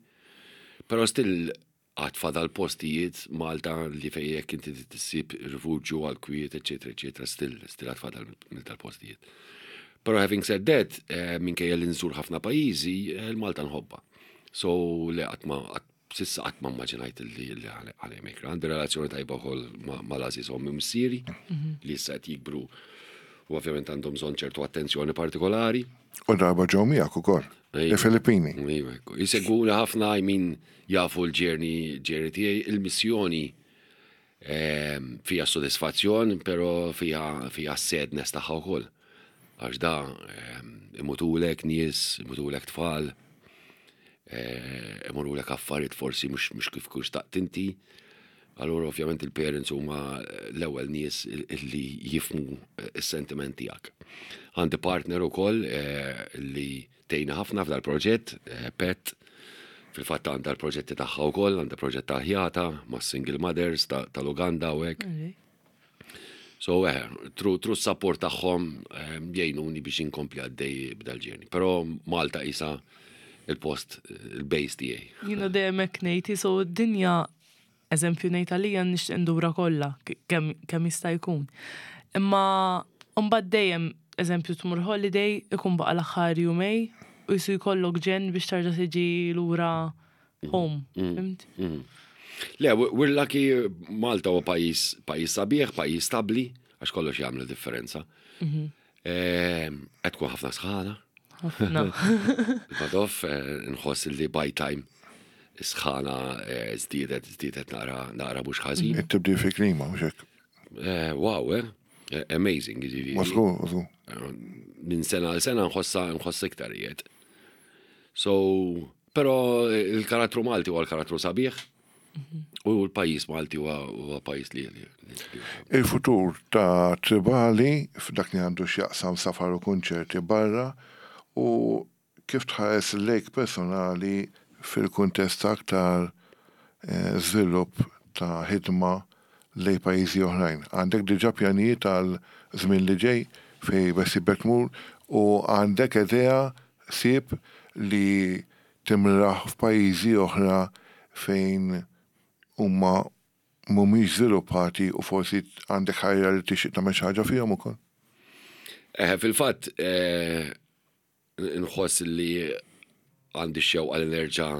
però still għad fadal postijiet Malta li fejn jekk inti tissib rifuġju għal kwiet, eċetera, eċetera, still, still għad fadal minn tal-postijiet. Però having said that, eh, minkejja li nżur ħafna pajjiżi, eh, il-Malta nħobba. So le qatt ma s'issa qatt ma immaġinajt li ħa nemigra. Għandi relazzjoni tajba wkoll mal-għażiż ommi u missieri li issa qed jikbru u ovvjament għandhom bżonn ċertu attenzjoni partikolari. U darba ġew miegħek ukoll. Il-Filippini. Iva, ekku. Jisegwuna ħafna, I mean, jafu l-journey, journey tiegħi, il-missjoni ehm, fija sodisfazzjon, pero fija fija sadness tagħha wkoll. Għax da ehm, imutulek nies, imutulek tfal, eh, imurulek affarijiet forsi mhux kif kux xtaqt inti. Allura ovvjament il-parents huma l-ewwel nies li jifhmu s-sentiment tiegħek. Għandi partner ukoll eh, li tgħinni ħafna f'dal proġett, eh, Pet, fil-fatt għandha l-proġetti tagħha wkoll, għandha proġett tal-ħjata ma' single mothers tal-Uganda u hekk. So, eh, through support tagħhom jgħinuni biex inkompli għaddej b'dal-journey. Però Malta isa il-post, il-base tiegħi. Jiena dejjem hekk ngħid, so d-dinja eżempju ngħid għalija nixtieq ndura kollha kemm jista' jkun. Imma mbagħad dejjem eżempju tmur holiday ikun baqa' l-aħħar jumejn u jisu jkollok ġenn biex tarġa' tiġi lura home. Fhimt? Le, we're lucky Malta huwa pajjiż pajjiż sabiħ, pajjiż stabli, għax kollox jagħmel differenza. Qed tkun ħafna sħana. Ħafna. Badof, nħoss li by time sħana żdiedet żdiedet naqra naqra mhux ħażin. It-tibdil fi klima, mhux hekk. Wow, eh? Amazing, jiġifieri. Mażgur, mażgur. Minn sena għal sena nħossa nħoss iktar jiet. So, però il-karattru Malti huwa l-karattru sabiħ u l-pajjiż Malti huwa pajjiż li Il-futur ta' Tribali f'dak li għandu x'jaqsam safar u kunċerti barra u kif tħares lejk personali fil-kuntest ta' aktar żvilupp ta' ħidma lejn pajjiżi oħrajn. Għandek diġà pjanijiet għal żmien li ġej fejn beħsiebek tmur u għandek idea ħsieb li timraħ f'pajjiżi oħra fejn huma mhumiex żviluppati u forsi għandek ħajra li tixtieq tagħmel xi ħaġa fihom ukoll? Eh, fil-fatt, eh, nħoss li għandi x-xewqa li nerġa'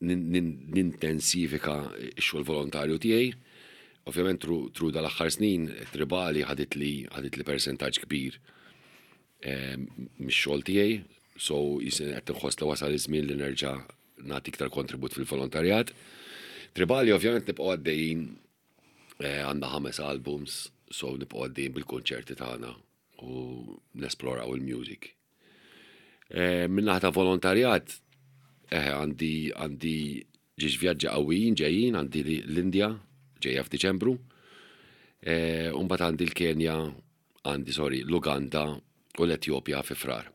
nintensifika x-xogħol volontarju tiegħi. Ovvjament through dal-aħħar snin Tribali ħadit li ħadit li persentaġġ kbir eh, mix-xogħol tiegħi, so jisin qed inħoss li wasal iż-żmien li nerġa' nagħti iktar kontribut fil-volontarjat. Tribali ovvjament nibqgħu għaddejjin eh, għandna ħames albums, so nibqgħu għaddejjin bil-konċerti tagħna u nesploraw il-music. Eh, Min-naħa ta' volontarjat, għandi għandi ġiex vjaġġi qawwijin ġejjin, għandi l-Indja ġejja f'Diċembru, u mbagħad għandi l-Kenja, għandi sorry, l-Uganda u l-Etjopja fi Frar.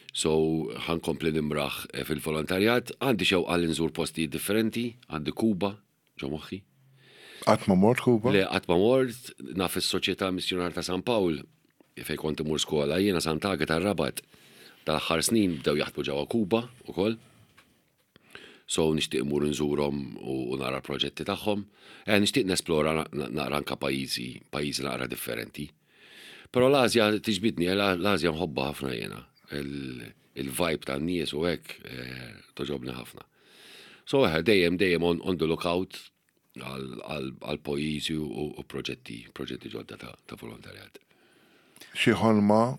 So, ħa nkompli nimraħ fil-volontarjat, għandi xewqa li nżur postijiet differenti, għandi Kuba, ġo moħħi. Qatt ma mort Kuba? Le, qatt ma mort, naf is-Soċjetà Missjunar ta' San Pawl, fejn kont imur skola, jiena Sant'Agata tar-Rabat. Dal-aħħar snin bdew jaħdmu ġewwa Kuba ukoll. So nixtieq imur nżurhom u nara l-proġetti tagħhom. Eh, nixtieq nesplora naqra anka pajjiżi, pajjiżi naqra differenti. Però l-Asja tiġbidni, eh, l-Asja nħobbha ħafna jiena. Il-vibe tan-nies u hekk eh, toġobni ħafna. So eh, dejjem dejjem on, on the lookout għal pajjiżi u proġetti, proġetti ġodda ta', ta volontarjat. Xi ħolma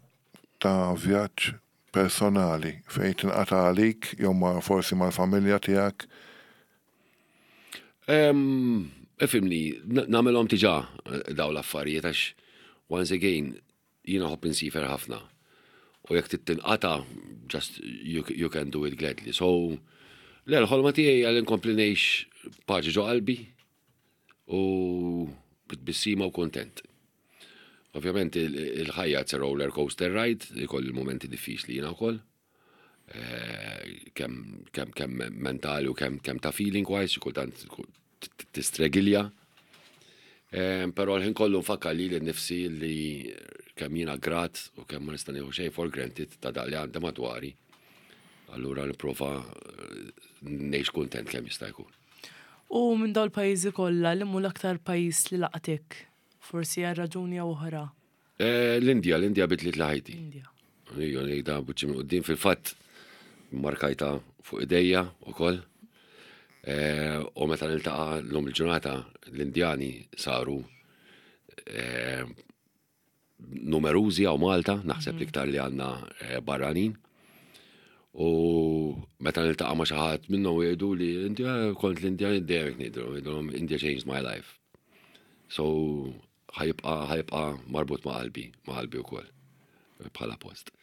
ta' vjaġġ personali fejn tinqata' għalik jew ma forsi mal-familja tiegħek? Ifhimni, nagħmilhom diġà daw l-affarijiet għax once again jiena nħobb insifer ħafna. U jekk trid tinqata' just you, you can do it gladly. So, le, l-ħolma tiegħi għal inkompli ngħix paċi ġo qalbi u bitbissima u kontent. Ovvjament il-ħajja it's a roller coaster ride, ikolli l-mumenti diffiċli jiena wkoll. Eh, kemm kemm kemm mentali u kemm kemm ta' feeling wise, xi kultant tistregilja. Eh, però l-ħin kollu nfakkar li nnifsi li kemm jiena grat u kemm ma nista' nieħu xejn for granted ta' dak li għandi madwari. Allura nipprova eh, ngħix kuntent kemm jista' jkun. U minn dawn il-pajjiżi kollha, li mhu l-aktar pajjiż li laqtek? Forsi għal raġuni jew oħra. Eh, L-Indja, l-Indja bidlit li ħajti. Indja. Ejja, ngħidha buċċi minn quddiem fil-fatt markajta fuq idejja ukoll. Eh, u meta niltaqa' llum il-ġurnata l-Indjani saru eh, numerużi hawn Malta, naħseb mhm. l-iktar li għandna eh, barranin. U meta niltaqa' ma' xi ħadd minnhom jgħidu li Indja kont l-Indja dejjem ngħidu, ngħidulhom India changed my life. So ħajibqa ħajibqa marbut ma' qalbi, ma' qalbi wkoll bħala post.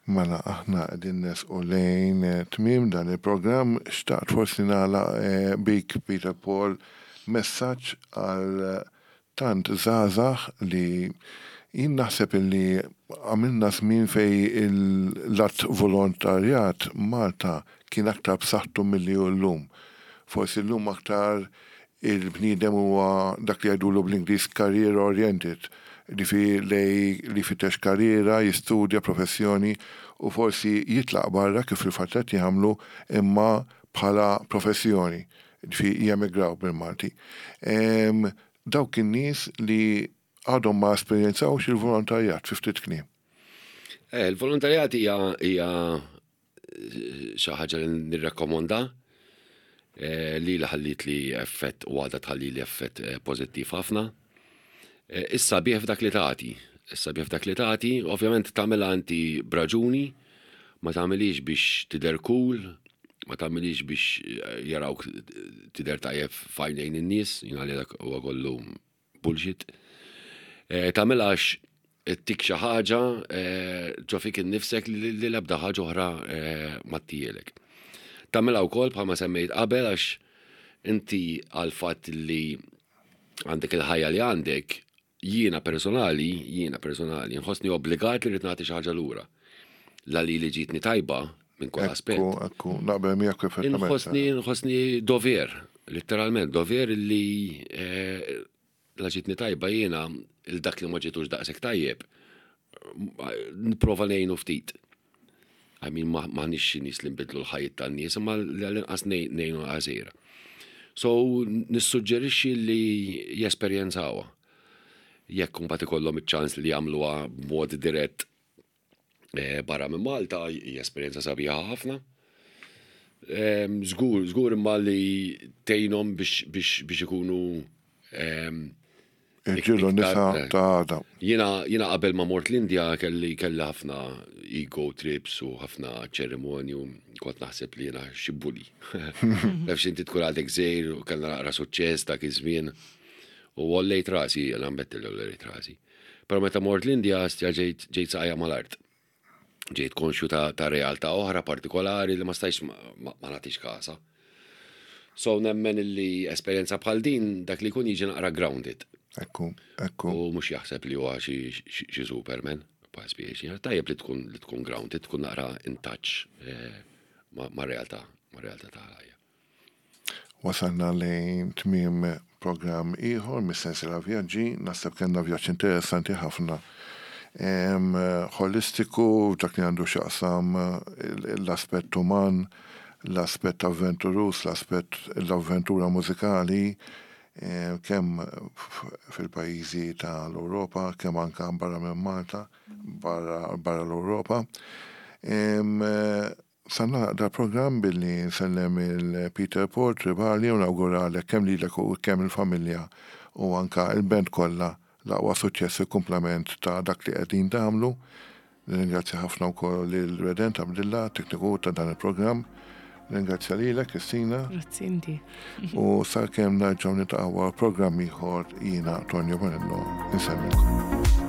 Mela aħna qegħdin nesqu lejn eh, tmiem dan il-programm, xtaqt forsi nagħlaq eh, bik Peter Paul messaġġ għal tant żgħażagħ li jien naħseb illi għamilna żmien fejn l-att volontarjat Malta kien aktar b'saħħtu milli hu llum. Forsi llum aktar il-bniedem huwa dak li jgħidulu bl-Ingliż career oriented, jiġifieri lej li jfittex karriera, jistudja professjoni u forsi jitlaq barra kif fil-fatt qed jagħmlu imma bħala professjoni. Ġifieri jemigraw bil-Malti. Dawk in-nies li għadhom ma esperjenzawx il-volontarjat fi ftit kliem. Eh, il-volontarjat hija hija xi ħaġa li nirrakkomonda eh, li li ħallit li effett u għadha tħalli li effett eh, pożittiv ħafna. Issa bih f'dak li tagħti. Issa bih f'dak li tagħti, ovvjament tagħmilha inti b'raġuni, ma tagħmilix biex tidher cool, ma tagħmilix biex eh, jarawk tidher tajjeb f'għajnejn in-nies, jiena li dak huwa kollu bullshit. Eh, tagħmilha għax tik xi ħaġa eh, ġo fik innifsek li l-ebda ħaġa oħra ma ttielek. Tagħmilha wkoll bħalma semmejt qabel għax inti għal fatt li għandek il-ħajja li għandek, Jiena personali, jiena personali, nħossni obbligat li rrid nagħti xi ħaġa lura. La li li ġietni tajba minn kull aspett. Ekku, ekku, naqbel miegħek perfettament. Inħossni, nħossni dover, letteralment dover li eh, la ġietni tajba jiena il dak li ma ġietux daqshekk tajjeb, nipprova ngħinu ftit. I mean, maħniex xi nies li nbidlu l-ħajjiet tan-nies, imma li għall-inqas ngħinu għażira. So, nissuġġerixxi li jesperjenzawha. Jekk imbagħad ikollhom iċ-ċans li jagħmluha b'mod dirett eh, barra minn Malta, hija esperjenza sabiħa ħafna. Ehm, żgur, żgur imma li tgħinhom biex ikunu ehm, Irġiel u nisa ta' għada. Jiena jiena qabel ma mort l-Indja kelli kelli ħafna ego trips u ħafna ċerimonju, kont naħseb li jiena xi bully. Taf inti tkun għadek żgħir u kellna naqra suċċess dak iż-żmien. U għollejt rasi, jiena nammetti li għollejt rasi. Però meta mort l-Indja stja ġejt ġejt saqajja mal-art. Ġejt konxju ta', ta realtà oħra partikolari li ma stajx ma, ma, ma nagħtix kasa. So nemmen li esperjenza bħal din dak li jkun jiġi naqra grounded. Ekku, ekku. U mhux jaħseb li huwa xi Superman, pa' spiex. Tajjeb li tkun li tkun grounded, tkun naqra in touch eh, ma' realtà, ma' realtà ta' ħajja. Wasalna lejn tmiem programm ieħor mis-sensiela Vjaġġi. Naħseb kellna vjaġġ interessanti ħafna. Ħolistiku f'dak li għandu x'jaqsam l-aspett uman, l-aspett avventuruż, l-aspett l-avventura mużikali kemm fil-pajjiżi tal-Ewropa, kemm anke barra minn Malta, barra l-Ewropa. Sa nagħlaq dal-programm billi nsellem il Peter Paul Tribali u nawguralek kemm lilek u kemm il-familja u anka il-band kollha l-aqwa suċċess fil-kumplament ta' dak li qegħdin tagħmlu. Nirringrazzja ħafna wkoll lil Redent Abdilla, tekniku ta' dan il-programm. Nirringrazzja lilek Kristina. Grazzi inti. U sakemm nerġgħu niltaqgħu għal programm ieħor jiena Tonio Bonello insellmilkom.